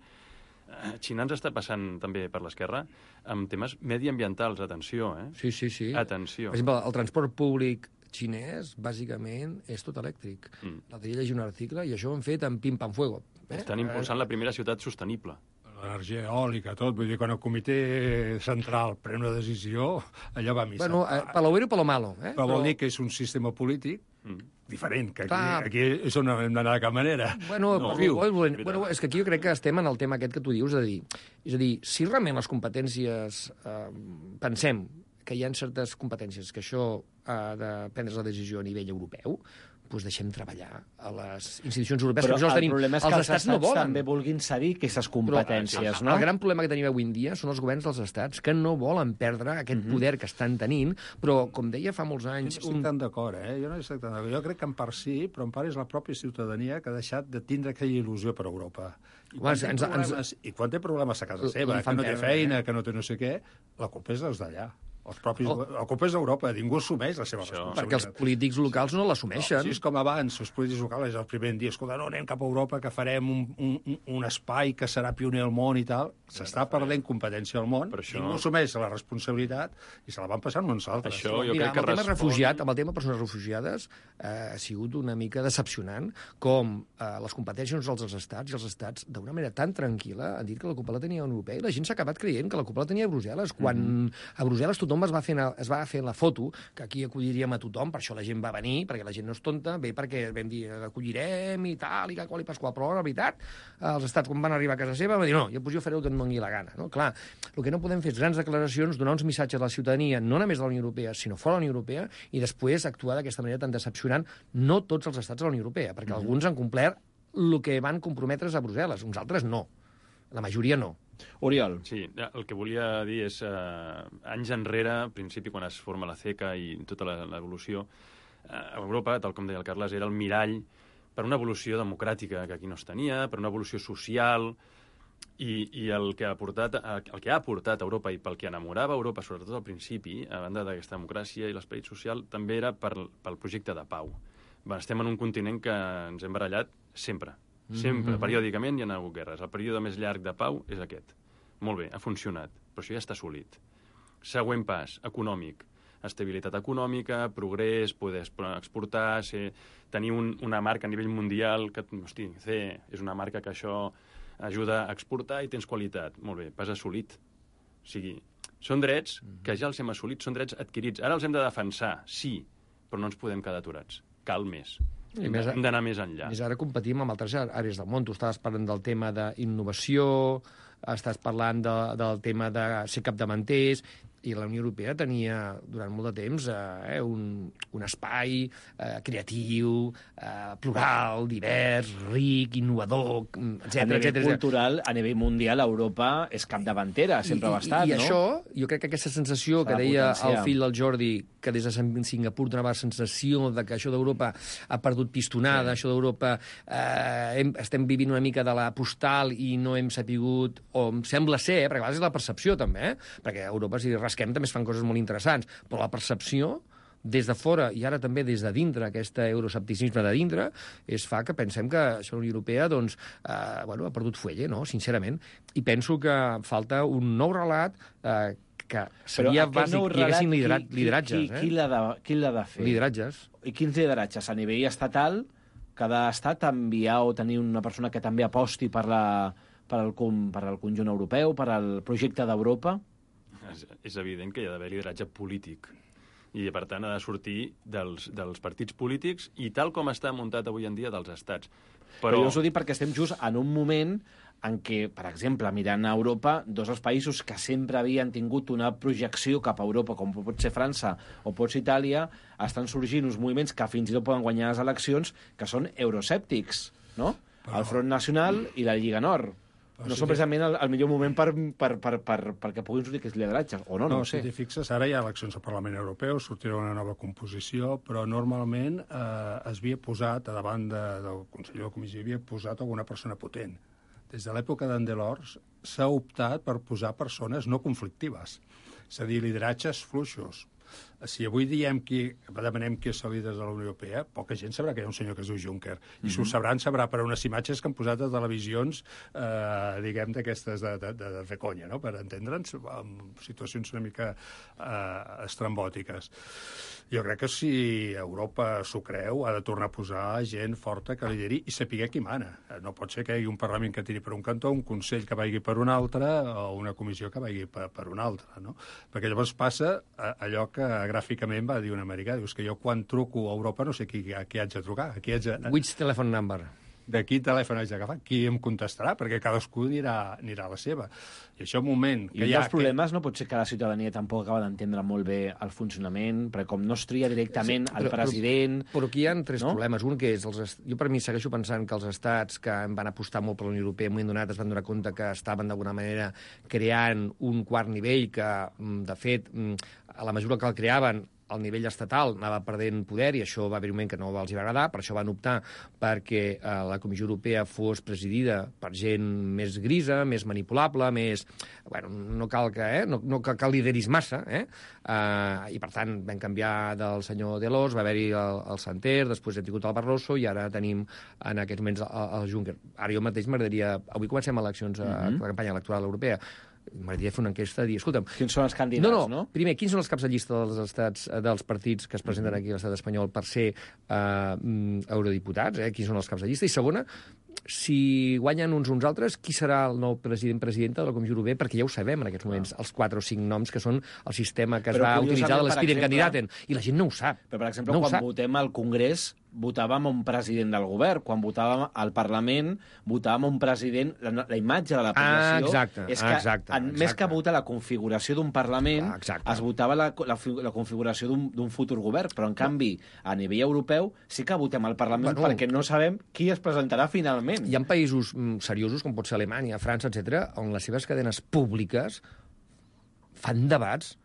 Eh, Xina ens està passant també per l'esquerra amb temes mediambientals, atenció, eh? Sí, sí, sí. Atenció. Per exemple, el transport públic xinès, bàsicament, és tot elèctric. Mm. L'altre dia llegir un article i això ho han fet amb pim-pam-fuego. Eh? Estan impulsant la primera ciutat sostenible. L'energia eòlica, tot. Vull dir, quan el comitè central pren una decisió, allò va a missa. Bueno, eh, per lo bueno i per lo malo. Eh? Però vol dir que és un sistema polític mm. diferent, que aquí, aquí és on hem d'anar de cap manera. Bueno, no, viu. Bueno, bueno, és que aquí jo crec que estem en el tema aquest que tu dius, és a dir, és a dir si realment les competències, eh, pensem que hi ha certes competències que això ha de prendre la decisió a nivell europeu, doncs deixem treballar a les institucions europees. Però que el tenim. problema és que els, els estats, estats no volen. també vulguin cedir aquestes competències, però, no? El gran problema que tenim avui en dia són els governs dels estats que no volen perdre aquest mm-hmm. poder que estan tenint, però, com deia fa molts anys... Jo no estic un... tan d'acord, eh? Jo no estic tan d'acord. Jo crec que en part sí, però en part és la pròpia ciutadania que ha deixat de tindre aquella il·lusió per Europa. I quan, ens, té, problemes, ens... I quan té problemes a casa seva, que no té perdre, feina, eh? que no té no sé què, la culpa és dels d'allà. Els propis, oh. El cop és d'Europa, ningú assumeix la seva Això. responsabilitat. Perquè els polítics locals no l'assumeixen. No, si és com abans, els polítics locals és el primer dia, escolta, no, anem cap a Europa, que farem un, un, un espai que serà pioner al món i tal. S'està perdent competència al món, això... ningú assumeix la responsabilitat i se la van passant uns altres. Això, jo Mira, crec que amb el tema respon... refugiat, amb el tema persones refugiades, eh, ha sigut una mica decepcionant com eh, les competències dels estats i els estats, d'una manera tan tranquil·la, han dit que la culpa la tenia la Unió Europea i la gent s'ha acabat creient que la culpa la tenia Brussel·les, quan mm-hmm. a Brussel·les tothom es va fer, es va fer la foto, que aquí acolliríem a tothom, per això la gent va venir, perquè la gent no és tonta, bé perquè vam dir acollirem i tal, i que qual i pasqual, però la veritat, els estats, quan van arribar a casa seva, van dir no, jo, pues, jo faré el que em doni la gana. No? Clar, el que no podem fer és grans declaracions, donar uns missatges a la ciutadania, no només de la Unió Europea, sinó fora de la Unió Europea, i després actuar d'aquesta manera tan decepcionant, no tots els estats de la Unió Europea, perquè mm-hmm. alguns han complert el que van comprometre's a Brussel·les, uns altres no. La majoria no. Oriol. Sí, el que volia dir és, eh, anys enrere, al principi, quan es forma la CECA i tota l'evolució, eh, Europa, tal com deia el Carles, era el mirall per una evolució democràtica que aquí no es tenia, per una evolució social, i, i el, que ha portat, el que ha portat Europa i pel que enamorava Europa, sobretot al principi, a banda d'aquesta democràcia i l'esperit social, també era per, pel projecte de pau. Va, estem en un continent que ens hem barallat sempre. Sempre, mm-hmm. periòdicament hi ha hagut guerres. El període més llarg de pau és aquest. Molt bé, ha funcionat, però això ja està assolit. Següent pas, econòmic. Estabilitat econòmica, progrés, poder exportar, ser, tenir un, una marca a nivell mundial, que, hosti, C, és una marca que això ajuda a exportar i tens qualitat. Molt bé, pas assolit. O sigui, són drets que ja els hem assolit, són drets adquirits. Ara els hem de defensar, sí, però no ens podem quedar aturats. Cal més. I Hem més, hem d'anar més enllà. més ara competim amb altres àrees del món. Tu estaves parlant del tema d'innovació, estàs parlant de, del tema de ser capdavanters, i la Unió Europea tenia durant molt de temps eh, un, un espai eh, creatiu, eh, plural, divers, ric, innovador, etcètera. A nivell etcètera. cultural, a nivell mundial, Europa és capdavantera, sempre I, ho ha estat, i, i no? això, jo crec que aquesta sensació S'ha que de deia potenciar. el fill del Jordi, que des de Singapur donava la sensació de que això d'Europa ha perdut pistonada, sí. això d'Europa eh, hem, estem vivint una mica de la postal i no hem sapigut, o em sembla ser, eh, perquè a vegades és la percepció també, eh, perquè a Europa si rasquem també es fan coses molt interessants, però la percepció des de fora i ara també des de dintre, aquest euroscepticisme de dintre, es fa que pensem que això la Unió Europea doncs, eh, bueno, ha perdut fuelle, no? Sincerament. I penso que falta un nou relat eh, que seria bàsic que hi haguessin liderat, qui, lideratges. Qui, qui, qui l'ha de, qui l'ha de fer? Lideratges. I quins lideratges? A nivell estatal, cada estat enviar o tenir una persona que també aposti per, la, per, el, per el conjunt europeu, per al projecte d'Europa? És, és evident que hi ha d'haver lideratge polític i, per tant, ha de sortir dels, dels partits polítics i tal com està muntat avui en dia dels estats. Però, Però jo us ho dic perquè estem just en un moment en què, per exemple, mirant a Europa, dos dels països que sempre havien tingut una projecció cap a Europa, com pot ser França o pot ser Itàlia, estan sorgint uns moviments que fins i tot poden guanyar les eleccions, que són euroscèptics, no? Però... el Front Nacional i la Lliga Nord. Però no si són precisament el, el millor moment per, per, per, per, perquè puguin sortir aquests lideratges, o no, no, no ho sé. Si t'hi fixes, ara hi ha eleccions al Parlament Europeu, sortirà una nova composició, però normalment eh, es havia posat, a davant de, del Consell de la Comissió, havia posat alguna persona potent. Des de l'època d'en Delors s'ha optat per posar persones no conflictives, és a dir, lideratges fluixos. Si avui diem qui, demanem qui és el líder de la Unió Europea, poca gent sabrà que hi ha un senyor que es diu Juncker. I mm-hmm. si ho sabran, sabrà per unes imatges que han posat a televisions, eh, diguem, d'aquestes de, de, de, de fer conya, no? Per entendre'ns, en situacions una mica eh, estrambòtiques. Jo crec que si Europa s'ho creu, ha de tornar a posar gent forta que lideri i sapiguer qui mana. No pot ser que hi hagi un Parlament que tiri per un cantó, un Consell que vagi per un altre o una comissió que vagi per, per un altre, no? Perquè llavors passa allò que gràficament va dir un americà, dius que jo quan truco a Europa no sé qui, a qui haig de trucar. A qui haig de... Which telephone number? De quin telèfon haig d'agafar? Qui em contestarà? Perquè cadascú anirà, anirà a la seva. I això un moment... I un dels problemes no pot ser que la ciutadania tampoc acaba d'entendre molt bé el funcionament, perquè com no es tria directament sí, però, el president... Però, però aquí hi ha tres no? problemes. Un que és... Els, jo per mi segueixo pensant que els estats que van apostar molt per la Unió Europea en un moment donat es van donar compte que estaven d'alguna manera creant un quart nivell que, de fet, a la mesura que el creaven, el nivell estatal anava perdent poder i això va haver un moment que no els va agradar, per això van optar perquè eh, la Comissió Europea fos presidida per gent més grisa, més manipulable, més... Bueno, no cal que, eh? no, no cal que lideris massa, eh? Uh, i per tant vam canviar del senyor Delors, va haver-hi el, el Santer, després hem tingut el Barroso i ara tenim en aquests moments el, el Juncker. Ara jo mateix m'agradaria... Avui comencem eleccions a mm-hmm. la campanya electoral europea. M'agradaria fer una enquesta i dir, escolta'm... Quins són els candidats, no? no? No, primer, quins són els caps de llista dels estats, dels partits que es presenten aquí a l'estat espanyol per ser eh, eurodiputats, eh? Quins són els caps de llista? I segona, si guanyen uns uns altres, qui serà el nou president-presidenta de la Comissió Europea? Perquè ja ho sabem en aquests moments, els quatre o cinc noms que són el sistema que es Però va utilitzar de l'Spirit Candidaten. I la gent no ho sap. Però, per exemple, no quan votem al Congrés, votàvem un president del govern. Quan votàvem al Parlament, votàvem un president... La, la imatge de la població ah, exacte, és que, exacte, en, exacte. més que votar la configuració d'un Parlament, ah, es votava la, la, la configuració d'un futur govern. Però, en canvi, a nivell europeu, sí que votem al Parlament bueno, perquè no sabem qui es presentarà finalment. Hi ha països seriosos, com pot ser Alemanya, França, etcètera, on les seves cadenes públiques fan debats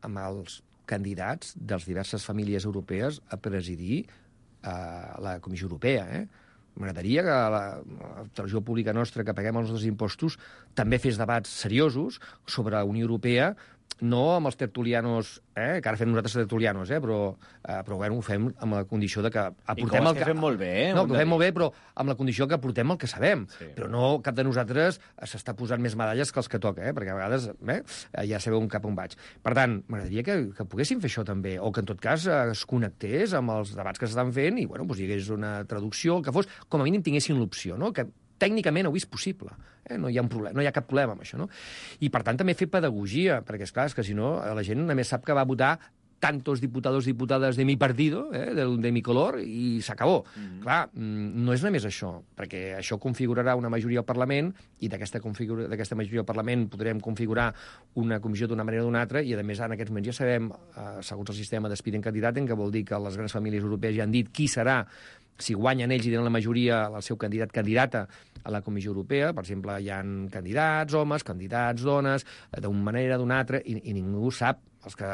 amb els candidats de les diverses famílies europees a presidir a la Comissió Europea, eh? M'agradaria que la, la televisió pública nostra, que paguem els nostres impostos, també fes debats seriosos sobre la Unió Europea, no amb els tertulianos, eh, que ara fem nosaltres tertulianos, eh, però, eh, però bueno, ho fem amb la condició de que aportem el que... que fem molt bé, eh? No, que ho fem molt bé, però amb la condició que aportem el que sabem. Sí. Però no cap de nosaltres s'està posant més medalles que els que toca, eh, perquè a vegades eh, ja sabeu cap on vaig. Per tant, m'agradaria que, que poguéssim fer això també, o que en tot cas es connectés amb els debats que s'estan fent i bueno, doncs, hi hagués una traducció, que fos, com a mínim tinguessin l'opció, no? Que tècnicament ho és possible. Eh? No hi ha un problema, no hi ha cap problema amb això, no? I, per tant, també fer pedagogia, perquè, esclar, és que si no, la gent només sap que va votar tantos diputados, diputades de mi partido, eh, de, de mi color, i s'acabó. Mm-hmm. Clar, no és només això, perquè això configurarà una majoria al Parlament, i d'aquesta configura... majoria al Parlament podrem configurar una comissió d'una manera o d'una altra, i a més en aquests moments ja sabem, eh, segons el sistema d'Spidden Candidaten, que vol dir que les grans famílies europees ja han dit qui serà, si guanyen ells i tenen la majoria, el seu candidat candidata a la Comissió Europea. Per exemple, hi ha candidats homes, candidats dones, d'una manera, d'una altra, i, i ningú sap, els que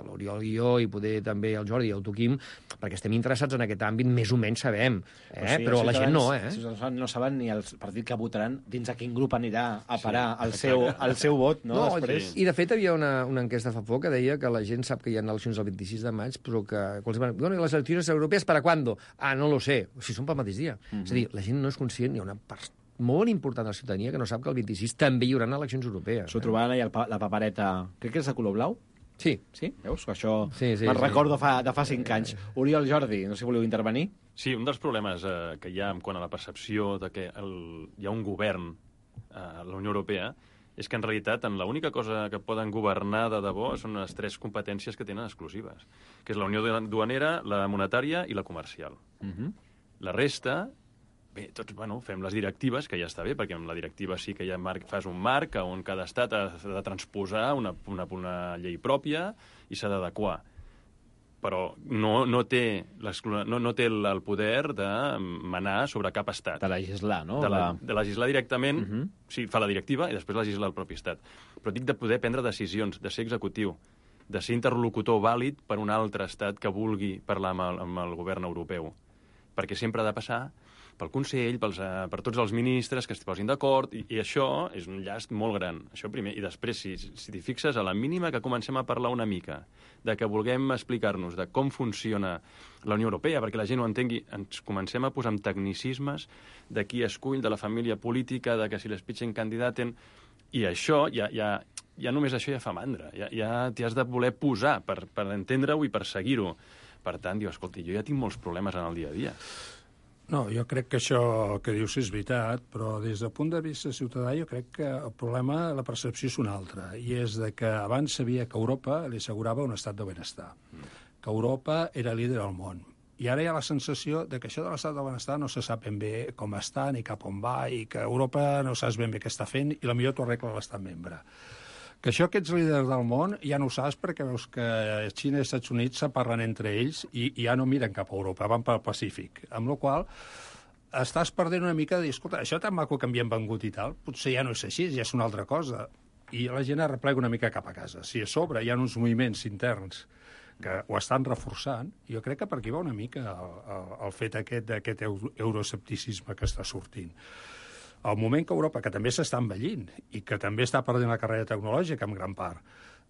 l'Oriol i jo, i poder també el Jordi i el Tuquim, perquè estem interessats en aquest àmbit, més o menys sabem, eh? Però, sí, però la gent no, eh? No saben ni el partit que votaran dins a quin grup anirà a parar sí, el, seu, el seu vot, no? no Després... I, de fet, hi havia una, una enquesta fa poc que deia que la gent sap que hi ha eleccions el vint-i-sis de maig, però que... Bueno, les eleccions europees, ¿para cuándo? Ah, no lo sé. O sigui, són pel mateix dia. Mm-hmm. És a dir, la gent no és conscient, hi ha una part molt important de la ciutadania que no sap que el vint-i-sis també hi haurà eleccions europees. S'ho eh? trobaven allà la papereta, crec que és de color blau? Sí. Sí? Veus? Que això sí, sí, me'n sí. recordo fa, de fa cinc anys. Oriol, Jordi, no sé si voleu intervenir. Sí, un dels problemes eh, que hi ha en quant a la percepció de que el, hi ha un govern eh, a la Unió Europea és que en realitat en l'única cosa que poden governar de debò són les tres competències que tenen exclusives, que és la Unió Duanera, la monetària i la comercial. Uh-huh. La resta... Bé, tots, bueno, fem les directives, que ja està bé, perquè amb la directiva sí que ja marc, fas un marc on cada estat ha de transposar una, una, una llei pròpia i s'ha d'adequar. Però no, no té, no, no té el poder de manar sobre cap estat. De legislar, no? De, la, de legislar directament, uh-huh. Sí, fa la directiva i després legisla el propi estat. Però dic de poder prendre decisions, de ser executiu, de ser interlocutor vàlid per un altre estat que vulgui parlar amb el, amb el govern europeu. Perquè sempre ha de passar pel Consell, pels, uh, per tots els ministres que es posin d'acord, i, i això és un llast molt gran. Això primer. I després, si, si t'hi fixes, a la mínima que comencem a parlar una mica de que vulguem explicar-nos de com funciona la Unió Europea, perquè la gent ho entengui, ens comencem a posar amb tecnicismes de qui escull, de la família política, de que si l'Spitzenkandidaten... I això, ja, ja, ja només això ja fa mandra. Ja, ja t'hi has de voler posar per, per entendre-ho i per seguir-ho. Per tant, diu, escolta, jo ja tinc molts problemes en el dia a dia. No, jo crec que això que dius és veritat, però des del punt de vista ciutadà jo crec que el problema, la percepció és una altra, i és de que abans sabia que Europa li assegurava un estat de benestar, mm. que Europa era líder al món. I ara hi ha la sensació de que això de l'estat de benestar no se sap ben bé com està ni cap on va, i que Europa no saps ben bé què està fent, i potser t'ho arregla l'estat membre. Que això que ets líder del món ja no ho saps perquè veus que Xina i els Estats Units se parlen entre ells i, i ja no miren cap a Europa, van pel Pacífic. Amb la qual estàs perdent una mica de dir, escolta, això tan maco que m'hi han vengut i tal, potser ja no és així, ja és una altra cosa. I la gent es replega una mica cap a casa. Si a sobre hi ha uns moviments interns que ho estan reforçant, jo crec que per aquí va una mica el, el, el fet aquest d'aquest euroescepticisme que està sortint. Al moment que Europa, que també s'està envellint i que també està perdent la carrera tecnològica en gran part,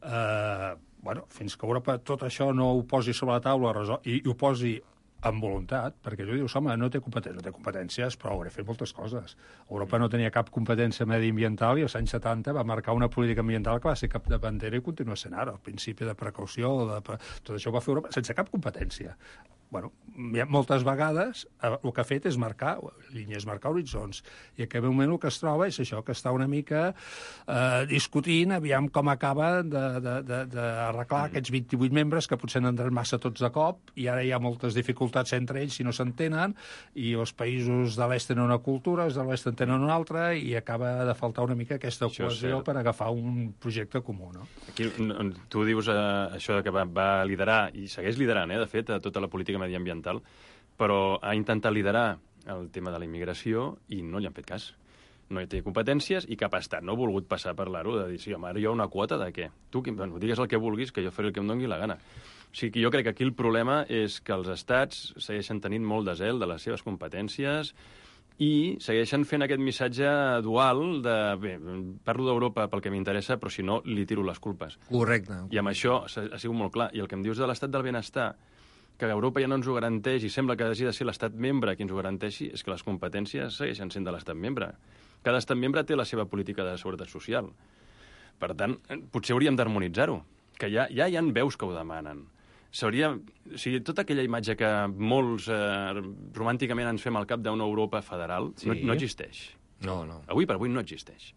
eh, bueno, fins que Europa tot això no ho posi sobre la taula i, i ho posi amb voluntat, perquè tu dius, home, no té competències, no té competències, però hauré fet moltes coses. Europa no tenia cap competència mediambiental i als anys setanta va marcar una política ambiental que va ser cap de bandera i continua sent ara. El principi de precaució, de... tot això ho va fer Europa sense cap competència. Bueno, moltes vegades el que ha fet és marcar línies, marcar horitzons, i a aquest moment el que es troba és això, que està una mica eh, discutint, aviam com acaba d'arreglar aquests vint-i-vuit membres que potser n'han entrat massa tots de cop, i ara hi ha moltes dificultats entre ells si no s'entenen, i els països de l'est tenen una cultura, els de l'est en tenen una altra, i acaba de faltar una mica aquesta cohesió per agafar un projecte comú, no? Aquí tu dius eh, això que va, va liderar, i segueix liderant, eh, de fet, a tota la política mediambiental, però ha intentat liderar el tema de la immigració i no li han fet cas. No hi té competències i cap estat no ha volgut passar a parlar-ho, de dir, sí, home, ara hi ha una quota de què? Tu, bueno, digues el que vulguis, que jo faré el que em doni la gana. O sigui que jo crec que aquí el problema és que els estats segueixen tenint molt de zel de les seves competències i segueixen fent aquest missatge dual de, bé, parlo d'Europa pel que m'interessa, però si no, li tiro les culpes. Correcte. I amb això ha sigut molt clar. I el que em dius de l'estat del benestar, que Europa ja no ens ho garanteix i sembla que hagi de ser l'estat membre qui ens ho garanteixi, és que les competències segueixen sent de l'estat membre. Cada estat membre té la seva política de seguretat social. Per tant, potser hauríem d'harmonitzar-ho, que ja, ja hi ha veus que ho demanen. S'hauria... O sigui, tota aquella imatge que molts eh, romànticament ens fem al cap d'una Europa federal, sí. no, no existeix. No, no. Avui per avui no existeix.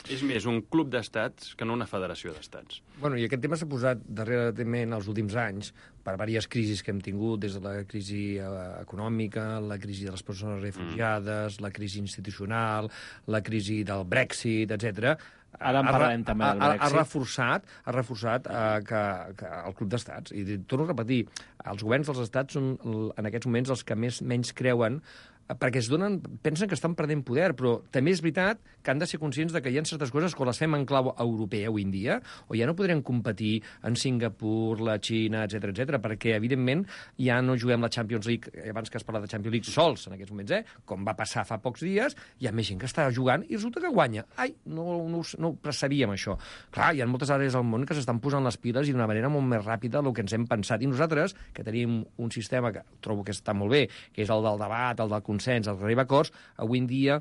És més un club d'estats que no una federació d'estats. Bueno, i aquest tema s'ha posat darrerament els últims anys per diverses crisis que hem tingut, des de la crisi eh, econòmica, la crisi de les persones refugiades, mm. la crisi institucional, la crisi del Brexit, etcètera. Ara en parlarem també del Brexit. Ha, ha reforçat, ha reforçat eh, que, que el club d'estats. I torno a repetir, els governs dels estats són en aquests moments els que més menys creuen, perquè es donen, pensen que estan perdent poder, però també és veritat que han de ser conscients de que hi ha certes coses que les fem en clau europea avui en dia, o ja no podrem competir en Singapur, la Xina, etcètera, etcètera, perquè, evidentment, ja no juguem la Champions League, abans que es parla de Champions League, sols en aquests moments, eh? Com va passar fa pocs dies, hi ha més gent que està jugant i resulta que guanya. Ai, no, no, no ho sabíem, això. Clar, hi ha moltes àrees del món que s'estan posant les piles i d'una manera molt més ràpida del que ens hem pensat. I nosaltres, que tenim un sistema que trobo que està molt bé, que és el del debat, el del consens, el arribar a acords, avui en dia,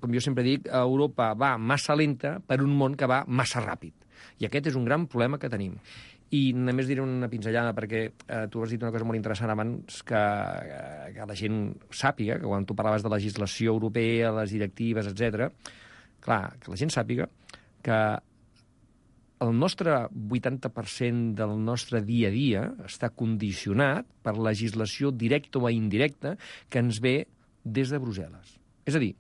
com jo sempre dic, Europa va massa lenta per un món que va massa ràpid. I aquest és un gran problema que tenim. I només diré una pinzellada, perquè eh, tu has dit una cosa molt interessant abans, que, eh, que la gent sàpiga, que quan tu parlaves de legislació europea, les directives, etcètera, clar, que la gent sàpiga que el nostre vuitanta per cent del nostre dia a dia està condicionat per legislació directa o indirecta que ens ve des de Brussel·les. És a dir,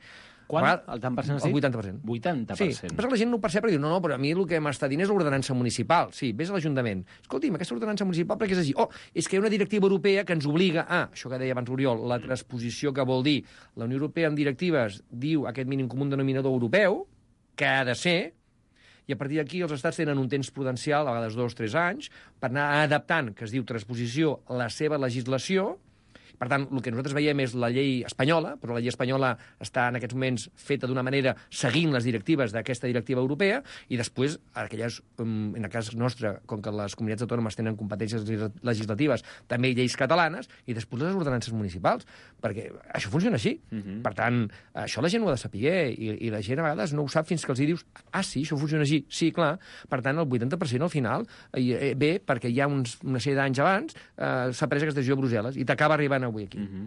quan? El tant per cent has dit? El vuitanta per cent. vuitanta per cent. Sí, però la gent no ho percep, perquè diu, no, no, però a mi el que m'està dient és l'ordenança municipal. Sí, vés a l'Ajuntament. Escolti'm, aquesta ordenança municipal, perquè és així. Oh, és que hi ha una directiva europea que ens obliga a, això que deia abans Oriol, la transposició que vol dir, la Unió Europea en directives diu aquest mínim comú denominador europeu, que ha de ser, i a partir d'aquí els estats tenen un temps prudencial, a vegades dos o tres anys, per anar adaptant, que es diu transposició, la seva legislació. Per tant, el que nosaltres veiem és la llei espanyola, però la llei espanyola està en aquests moments feta d'una manera seguint les directives d'aquesta directiva europea, i després, aquelles, en el cas nostre, com que les comunitats autònomes tenen competències legislatives, també lleis catalanes, i després les ordenances municipals, perquè això funciona així. Uh-huh. Per tant, això la gent ho ha de saber, i, i la gent a vegades no ho sap fins que els hi dius, ah, sí, això funciona així, sí, clar. Per tant, el vuitanta per cent al final eh, ve perquè hi ha uns, una sèrie d'anys abans eh, s'ha pres aquesta decisió a Brussel·les i t'acaba arribant avui aquí. Uh-huh.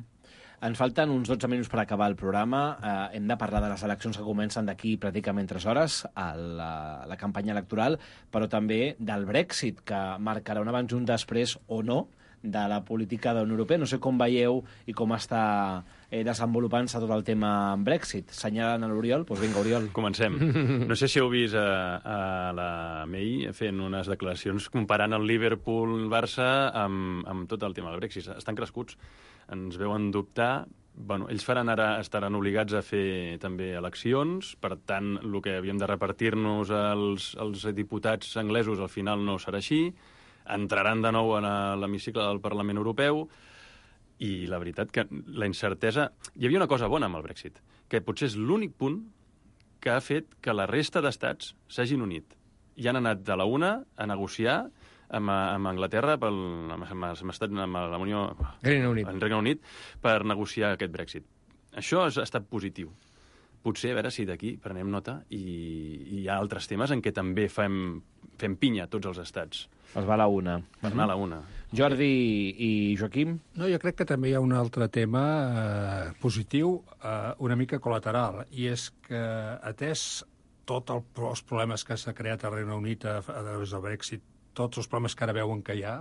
Ens falten uns dotze minuts per acabar el programa. Eh, hem de parlar de les eleccions que comencen d'aquí pràcticament tres hores, a la, la campanya electoral, però també del Brexit, que marcarà un abans i un després o no de la política de la Unió Europea. No sé com veieu i com està eh, desenvolupant-se tot el tema Brexit. Senyalen a l'Oriol? Doncs vinga, Oriol. Comencem. No sé si heu vist a, a la May fent unes declaracions comparant el Liverpool-Barça amb, amb tot el tema del Brexit. Estan crescuts. Ens veuen dubtar. Bueno, ells faran ara, estaran obligats a fer també eleccions, per tant, el que havíem de repartir-nos als, als diputats anglesos al final no serà així, entraran de nou en l'hemicicle del Parlament Europeu, i la veritat que la incertesa... Hi havia una cosa bona amb el Brexit, que potser és l'únic punt que ha fet que la resta d'estats s'hagin unit. I han anat de la una a negociar amb, amb Anglaterra, pel, amb, amb, amb, amb la Unió... Regne Unit. El Regne Unit, per negociar aquest Brexit. Això ha estat positiu. Potser, a veure si d'aquí prenem nota i, i hi ha altres temes en què també fem, fem pinya tots els estats. Es va a la una. Per anar a la una. Jordi i Joaquim? No, jo crec que també hi ha un altre tema eh, positiu, eh, una mica col·lateral, i és que, atès tots el, els problemes que s'ha creat al Regne Unit a, a través del Brexit, tots els problemes que ara veuen que hi ha,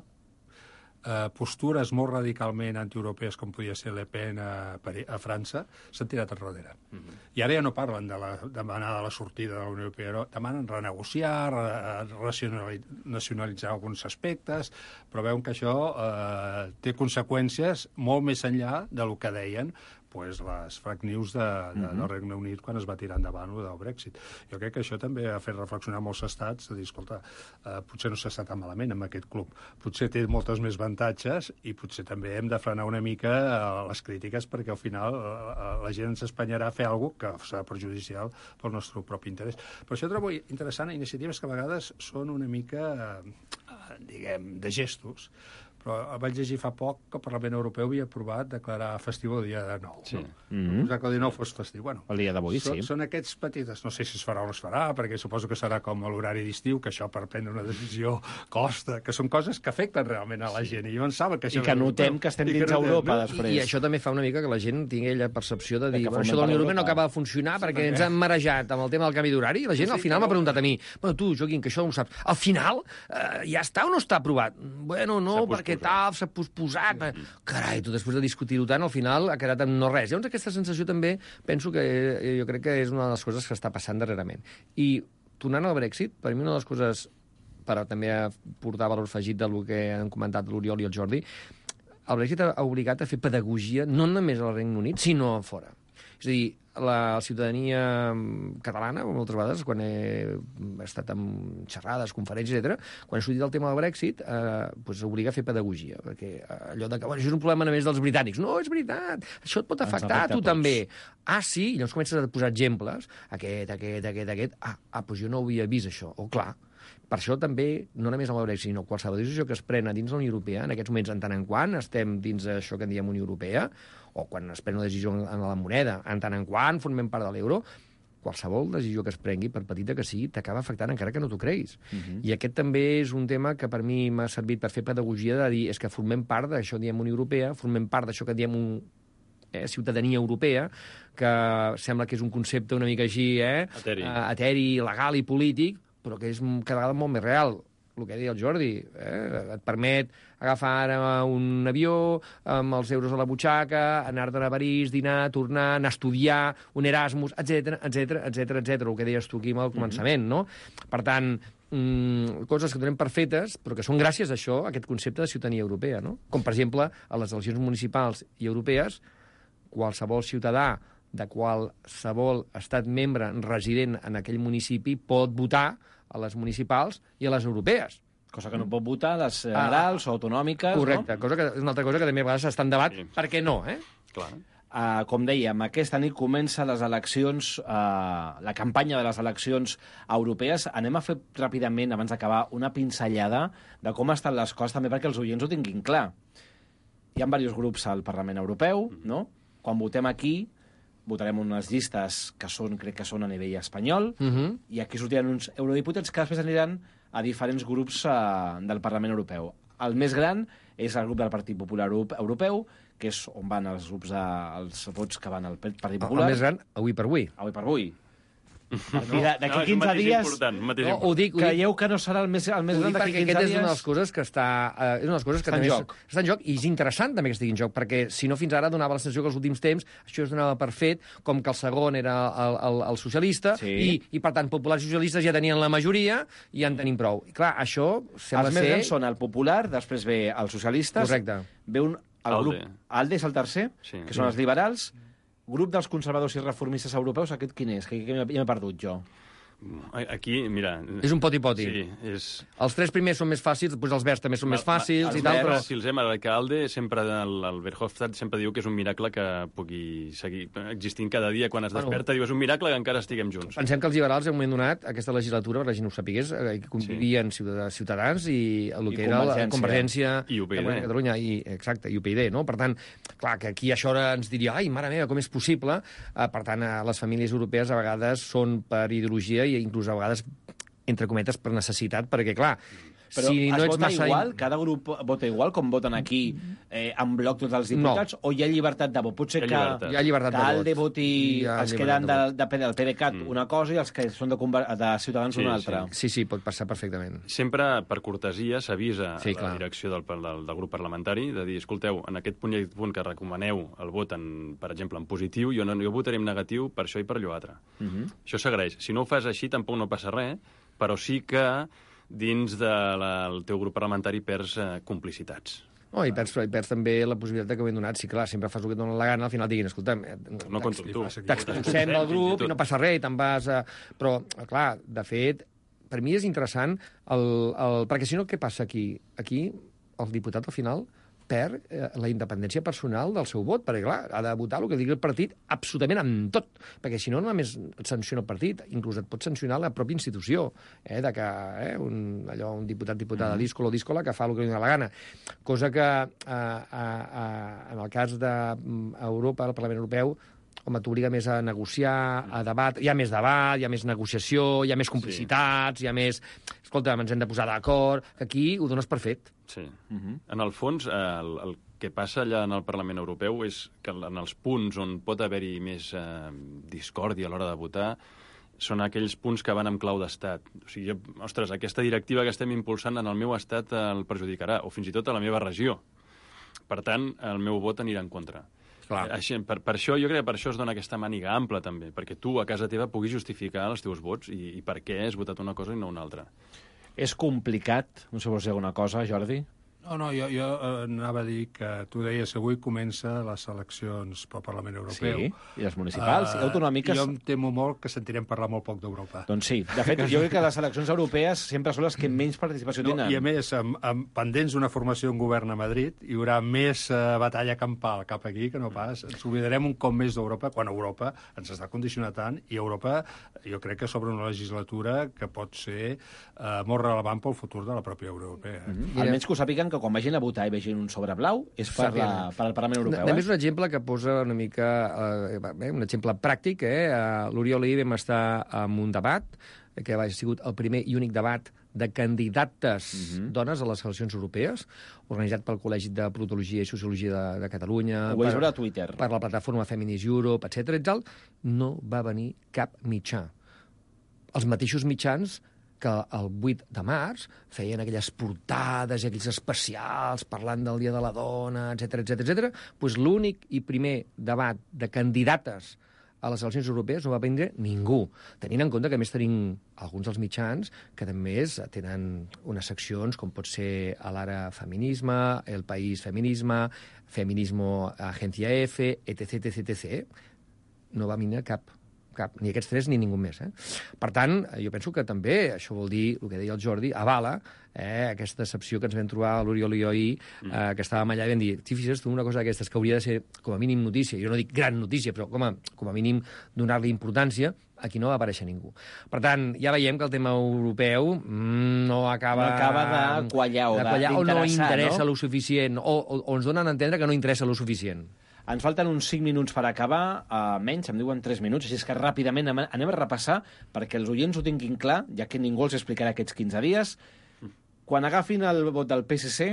eh, postures molt radicalment antieuropees, com podia ser Le Pen a, a França, s'han tirat enrere. Uh-huh. I ara ja no parlen de la demanar de la sortida de la Unió Europea, no, demanen renegociar, re, nacionalitzar alguns aspectes, però veuen que això eh, té conseqüències molt més enllà del que deien pues, les fake news de, de, uh-huh. del Regne Unit quan es va tirar endavant el del Brexit. Jo crec que això també ha fet reflexionar molts estats, de dir, escolta, eh, potser no s'està tan malament amb aquest club, potser té moltes més avantatges i potser també hem de frenar una mica eh, les crítiques perquè al final eh, la gent ens espanyarà a fer alguna cosa que serà perjudicial pel nostre propi interès. Per això trobo interessant iniciatives que a vegades són una mica, eh, diguem, de gestos, però vaig llegir fa poc que el Parlament Europeu havia aprovat declarar festiu el dia de nou. Sí. No? Mm-hmm. Posar que el dia nou fos festiu. Bueno, el dia d'avui, són, sí. Són aquests petits... No sé si es farà o no es farà, perquè suposo que serà com a l'horari d'estiu, que això per prendre una decisió costa, que són coses que afecten realment a la gent. I jo en saben que això... I que notem que estem dins Europa, després. I, I això també fa una mica que la gent tingui la percepció de dir, que bueno, això de la Unió Europea no acaba de funcionar Sí, perquè perquè- ens han marejat amb el tema del canvi d'horari, i la gent al Sí, final però- m'ha preguntat a mi, bueno, tu, Joaquim, que això no ho saps, al final eh, ja està o no està aprovat? Bueno, no, S'ha perquè posposat. tal, s'ha posposat. Sí. Carai, tu després de discutir-ho tant, al final ha quedat en no res. Llavors aquesta sensació també penso que eh, jo crec que és una de les coses que està passant darrerament. I tornant al Brexit, per mi una de les coses, per també portar valor afegit del que han comentat l'Oriol i el Jordi, el Brexit ha obligat a fer pedagogia no només al Regne Unit, sinó a fora. És a dir, la ciutadania catalana, moltes vegades, quan he estat en xerrades, conferències, etcètera, quan he sortit del tema del Brexit, eh, pues, obliga a fer pedagogia, perquè allò de que bueno, això és un problema només dels britànics. No, és veritat, això et pot Ens afectar a afecta tu a tots. també. Ah, sí? I llavors comences a posar exemples. Aquest, aquest, aquest, aquest. Ah, ah doncs jo no ho havia vist, això. O clar, per això també, no només amb el Brexit, sinó qualsevol decisió que es prena dins la Unió Europea, en aquests moments, en tant en quant estem dins això que en diem Unió Europea, o quan es pren una decisió en la moneda, en tant en quant formem part de l'euro, qualsevol decisió que es prengui, per petita que sigui, t'acaba afectant encara que no t'ho creguis. Uh -huh. I aquest també és un tema que per mi m'ha servit per fer pedagogia de dir és que formem part d'això que diem Unió Europea, formem part d'això que diem un, eh, ciutadania europea, que sembla que és un concepte una mica així, eh? Eteri. Uh, eteri, legal i polític, però que és cada vegada molt més real. El que deia el Jordi, eh? Et permet agafar ara un avió amb els euros a la butxaca, anar-te'n a París, dinar, tornar, anar a estudiar, un Erasmus, etcètera, etcètera, etcètera, etcètera, el que deies tu aquí al començament, no? Per tant, mm, coses que donem per fetes, però que són gràcies a això, a aquest concepte de ciutadania europea, no? Com, per exemple, a les eleccions municipals i europees, qualsevol ciutadà de qualsevol estat membre resident en aquell municipi pot votar a les municipals i a les europees. Cosa que no pot votar a les generals ah, o autonòmiques, correcte, no? cosa que és una altra cosa que també a vegades està en debat. Sí. Per què no, eh? Clar. Uh, com dèiem, aquesta nit comença les eleccions, uh, la campanya de les eleccions europees. Anem a fer ràpidament, abans d'acabar, una pinzellada de com estan les coses, també perquè els oients ho tinguin clar. Hi ha diversos grups al Parlament Europeu, no? Quan votem aquí, votarem unes llistes que són, crec que són a nivell espanyol, Uh -huh. i aquí sortiran uns eurodiputats que després aniran a diferents grups uh, del Parlament Europeu. El més gran és el grup del Partit Popular Europeu, que és on van els grups de, els vots que van al Partit Popular. El més gran, avui per avui. Avui per avui. D'aquí No, no, és un quinze matís dies... important, un matís No, ho dic, ho dic, Creieu que no serà el més, el més ho gran dic d'aquí perquè quinze aquesta dies? és una de les coses que està, eh, és una de les coses que Està en també joc. està en joc, i és interessant també que estigui en joc, perquè si no fins ara donava la sensació que els últims temps això es donava per fet, com que el segon era el, el, el socialista, Sí. i, i per tant populars i socialistes ja tenien la majoria i ja en tenim prou. I clar, això sembla Els més ser... grans són el Popular, després ve els socialistes, Correcte. ve un, el Alde. grup... Alde és el tercer, Sí. que són els liberals. Grup dels conservadors i reformistes europeus, aquest quin és? Que, que ja m'he perdut jo. Aquí, mira... És un poti-poti. Sí, és... Els tres primers són més fàcils, després els verds també són més fàcils Els i tal, però... verds, si els hem l'alcalde, sempre el, el Verhofstadt sempre diu que és un miracle que pugui seguir existint cada dia quan es Bueno. desperta. Diu, és un miracle que encara estiguem junts. Pensem que els liberals, en un moment donat, aquesta legislatura, per la gent ho sapigués, eh, que convivien sí. Ciutadans i el I que era la Convergència. Convergència I U P I D. de Catalunya, i, exacte, i U P I D, no? Per tant, clar, que aquí això ara ens diria, ai, mare meva, com és possible? Eh, per tant, eh, les famílies europees a vegades són per ideologia i inclús a vegades, entre cometes, per necessitat, perquè, clar, Però si es no ets vota massa... igual? Cada grup vota igual, com voten aquí, eh, en bloc tots els diputats? No. O hi ha llibertat de vot? Pot ser Hi ha que, llibertat. Hi ha llibertat que de vot. Alde voti Hi ha els que llibertat eren de de, vot. de, del PDeCAT Mm. una cosa i els que són de, Conver- de Ciutadans Sí, una sí. altra. Sí, sí, pot passar perfectament. Sempre, per cortesia, s'avisa Sí, a la clar. direcció del, del, del grup parlamentari de dir, escolteu, en aquest punt i aquest punt que recomaneu el vot, en, per exemple, en positiu, jo, no, jo votaré en negatiu per això i per allò altre. Uh -huh. Això s'agraeix. Si no ho fas així, tampoc no passa res, però sí que dins del de teu grup parlamentari perds eh, complicitats. Oh, i, perds, I perds també la possibilitat de que ho ben donat. Sí, clar, sempre fas el que et dona la gana, al final diguin, escolta'm, No compto amb tu. t'expulsem del grup i no passa res, i te'n vas a... Però, clar, de fet, per mi és interessant, el, el... perquè si no, què passa aquí? Aquí, el diputat, al final, per eh, la independència personal del seu vot, perquè, clar, ha de votar el que digui el partit absolutament amb tot, perquè si no, només et sanciona el partit, inclús et pot sancionar la pròpia institució, eh, de que eh, un, allò, un diputat, diputada, mm-hmm. díscola o díscola, que fa el que li dona la gana. Cosa que, eh, eh, eh, en el cas d'Europa, el Parlament Europeu, home, t'obliga més a negociar, a debat, hi ha més debat, hi ha més negociació, hi ha més complicitats, sí. hi ha més... Escolta, ens hem de posar d'acord, que aquí ho dones per fet. Sí. Uh-huh. En el fons, el, el que passa allà en el Parlament Europeu és que en els punts on pot haver-hi més eh, discòrdia a l'hora de votar són aquells punts que van amb clau d'estat. O sigui, jo, ostres, aquesta directiva que estem impulsant en el meu estat el perjudicarà, o fins i tot a la meva regió. Per tant, el meu vot anirà en contra. Clar. Així, per, per això, jo crec que per això es dona aquesta màniga ampla, també, perquè tu, a casa teva, puguis justificar els teus vots i, i per què has votat una cosa i no una altra. És complicat? No sé si vols dir alguna cosa, Jordi? No, no, jo, jo eh, anava a dir que tu deies que avui comença les eleccions pel Parlament Europeu. Sí, i les municipals uh, i autonòmiques. Jo em temo molt que sentirem parlar molt poc d'Europa. Doncs sí. De fet, jo crec que les eleccions europees sempre són les que menys participació no, tenen. I a més, amb, amb pendents d'una formació en govern a Madrid, hi haurà més uh, batalla campal cap aquí que no pas. Ens oblidarem un cop més d'Europa, quan Europa ens està condicionant tant, i Europa, jo crec que sobre una legislatura que pot ser uh, molt relevant pel futur de la pròpia Unió Europea. Mm-hmm. Almenys que ho sàpiguen que quan vagin a votar i vegin un sobre blau és per, la, per al Parlament Europeu. A eh? més, un exemple que posa una mica... Eh, un exemple pràctic, eh? L'Oriol i vam estar en un debat, que ha sigut el primer i únic debat de candidates uh-huh. dones a les eleccions europees, organitzat pel Col·legi de Politologia i Sociologia de, de Catalunya... Ho vaig veure a Twitter. Per la plataforma Feminist Europe, etcètera i tal. No va venir cap mitjà. Els mateixos mitjans que el vuit de març feien aquelles portades i aquells especials parlant del Dia de la Dona, etcètera, etcètera, etcètera, doncs l'únic i primer debat de candidates a les eleccions europees no va prendre ningú, tenint en compte que a més tenim alguns dels mitjans que també tenen unes seccions com pot ser a l'Ara Feminisme, El País Feminisme, Feminismo Agencia F, etc, etc, etcètera. No va venir cap cap, ni aquests tres ni ningú més. Eh? Per tant, jo penso que també, això vol dir, el que deia el Jordi, avala eh, aquesta decepció que ens vam trobar a l'Oriol i jo ahir, eh, que estàvem allà i vam dir, si fixes tu una cosa d'aquestes que hauria de ser com a mínim notícia, jo no dic gran notícia, però com a, com a mínim donar-li importància, aquí no va aparèixer ningú. Per tant, ja veiem que el tema europeu mm, no acaba... No acaba de quallar o d'interessar, o no interessa no? lo suficient, o, o, o ens donen a entendre que no interessa lo suficient. Ens falten uns cinc minuts per acabar, uh, menys, em diuen tres minuts, així és que ràpidament anem a repassar perquè els oients ho tinguin clar, ja que ningú els explicarà aquests quinze dies. Quan agafin el vot del P S C,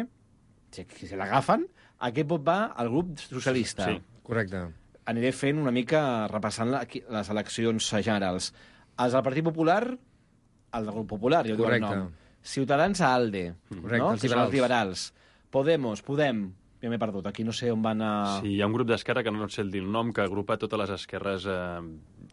si, si l'agafen, aquest vot va al grup socialista. Sí, correcte. Aniré fent una mica, repassant la, les eleccions generals. Els del Partit Popular, el del grup Popular, jo dic el nom. Ciutadans a ALDE, correcte, no? els Que són els liberals. Podemos, Podem, ja m'he perdut, aquí no sé on van a... Sí, hi ha un grup d'esquerra que no et sé dir el nom, que agrupa totes les esquerres eh,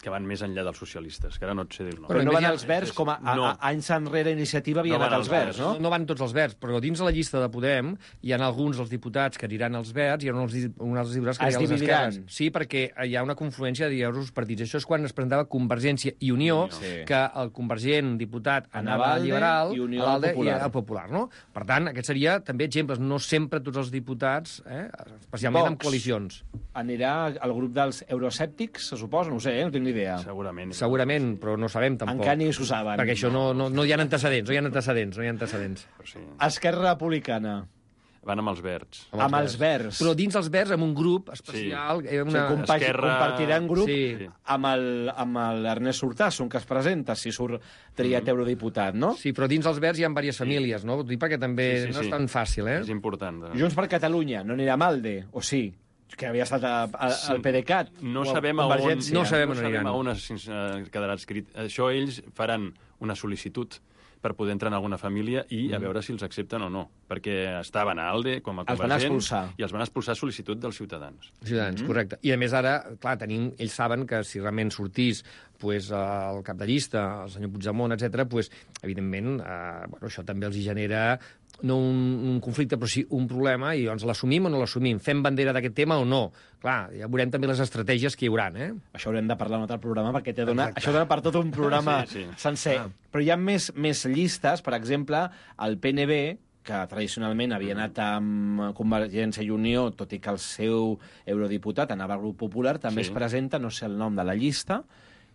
que van més enllà dels socialistes, que ara no et sé dir el nom. Però no van els verds, com a, a, no. a anys enrere iniciativa havia no anat els verds, no? No van tots els verds, però dins la llista de Podem hi ha alguns dels diputats que aniran als verds i hi ha uns, uns altres diputats que aniran als esquerres. Sí, perquè hi ha una confluència de diversos partits. Això és quan es presentava Convergència i Unió, sí. que el convergent diputat anava al liberal, i Unió al popular. I al popular, no? Per tant, aquest seria també exemples. No sempre tots els diputats... Eh, especialment Vox amb coalicions. Anirà al grup dels euroescèptics, se suposa? No ho sé, eh? No tinc ni idea. Segurament. Segurament, però no sabem tampoc. Encara ni s'ho saben. Perquè això no, no, no hi ha antecedents, no hi ha antecedents, no hi ha antecedents. Sí. Esquerra Republicana. Van amb els verds. Amb, amb els verds. Però dins els verds, amb un grup especial... Sí. Una... Sí, compagi, Esquerra... compartirà un grup sí. amb l'Ernest Urtasun, que es presenta, si surt triat mm. eurodiputat, no? Sí, però dins els verds hi ha diverses famílies, no? Perquè també sí, sí, no és sí. tan fàcil, eh? És important. De... Junts per Catalunya, no anirà Malde, o sí? Que havia estat a, a, sí. al PDeCAT. No sabem a on, no sabem no sabem a on es quedarà escrit. Això ells faran una sol·licitud per poder entrar en alguna família i mm. a veure si els accepten o no. Perquè estaven a ALDE com a convergents i els van expulsar a sol·licitud dels ciutadans. Ciutadans, mm. correcte. I a més ara, clar, tenim, ells saben que si realment sortís pues, el cap de llista, el senyor Puigdemont, etcètera, pues, evidentment, eh, bueno, això també els hi genera no un, un conflicte, però sí un problema, i doncs l'assumim o no l'assumim? Fem bandera d'aquest tema o no? Clar, ja veurem també les estratègies que hi haurà, eh? Això haurem de parlar en un altre programa, perquè te dona, això dona per tot un programa sí, sí. sencer. Ah. Però hi ha més, més llistes, per exemple, el P N B, que tradicionalment havia anat amb Convergència i Unió, tot i que el seu eurodiputat anava al Grup Popular, també Sí. es presenta, no sé el nom de la llista,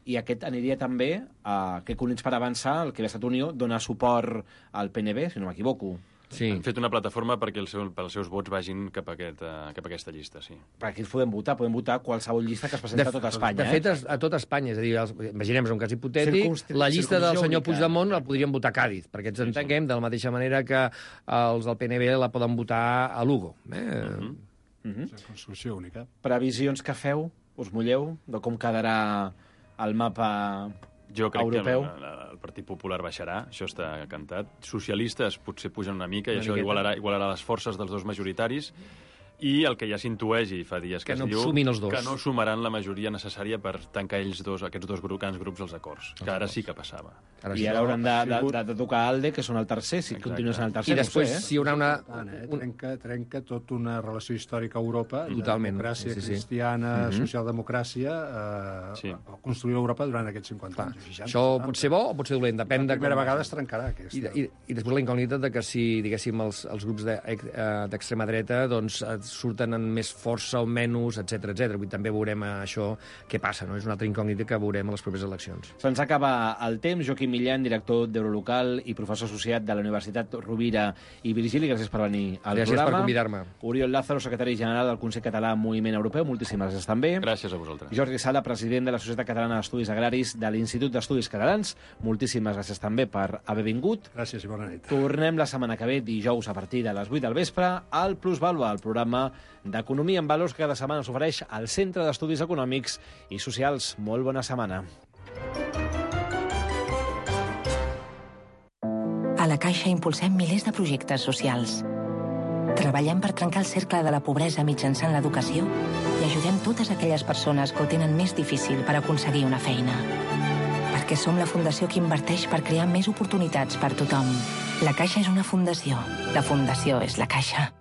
i aquest aniria també a que Units per Avançar, el que havia estat Unió, donar suport al P N B, si no m'equivoco. Sí. Han fet una plataforma perquè el seu, els seus vots vagin cap a, aquest, uh, cap a aquesta llista, sí. Per aquí podem votar, podem votar qualsevol llista que es presenta a tot Espanya. De fet, a tot Espanya, és a dir, els, imaginem un cas hipotètic, Circumst- la llista del senyor única. Puigdemont la podríem votar a Càdiz, perquè ens entenguem de la mateixa manera que els del P N B la poden votar a Lugo. Eh? Uh-huh. Uh-huh. Construcció única. Previsions que feu, us mulleu, de com quedarà el mapa Jo crec europeu? que el, el Partit Popular baixarà, això està cantat. Socialistes potser pugen una mica i Una això miqueta. igualarà, igualarà les forces dels dos majoritaris. I el que ja s'intueix, i fa dies que, Que no es diu, sumin els dos. que no sumaran la majoria necessària per tancar ells dos, aquests dos grups, grans grups als acords, que ara sí que passava. Ara I sí. ara hauran de, de, de, de tocar Alde, que són el tercer, si continuen sent el tercer. I després, no ho sé, eh? si hi haurà una... Tant, eh? trenca, trenca tota una relació històrica a Europa, Totalment, de democràcia sí, sí. cristiana, Mhm. socialdemocràcia, eh, Sí. a construir Europa durant aquests cinquanta anys. seixanta, Això setanta. pot ser bo o pot ser dolent, depèn de... La primera com- vegada es trencarà, aquesta. I, i, I després la incògnita de que si, diguéssim, els, els grups de- eh, d'extrema dreta doncs, eh, surten amb més força o menys, etcètera, etcètera. Vull dir, també veurem això què passa, no? És una altra incògnita que veurem a les properes eleccions. Se'ns acaba el temps. Joaquim Millan, director d'Eurolocal i professor associat de la Universitat Rovira i Virgili, gràcies per venir al Gràcies programa. per convidar-me. Oriol Lázaro, secretari general del Consell Català Moviment Europeu, moltíssimes gràcies també. Gràcies a vosaltres. Jordi Sala, president de la Societat Catalana d'Estudis Agraris de l'Institut d'Estudis Catalans, moltíssimes gràcies també per haver vingut. Gràcies i bona nit. Tornem la setmana que ve, dijous, a partir de les vuit del vespre, al Plusvalua, el programa d'Economia en Valors que cada setmana us ofereix al Centre d'Estudis Econòmics i Socials. Molt bona setmana. A la Caixa impulsem milers de projectes socials. Treballem per trencar el cercle de la pobresa mitjançant l'educació i ajudem totes aquelles persones que ho tenen més difícil per aconseguir una feina. Perquè som la fundació que inverteix per crear més oportunitats per tothom. La Caixa és una fundació. La fundació és la Caixa.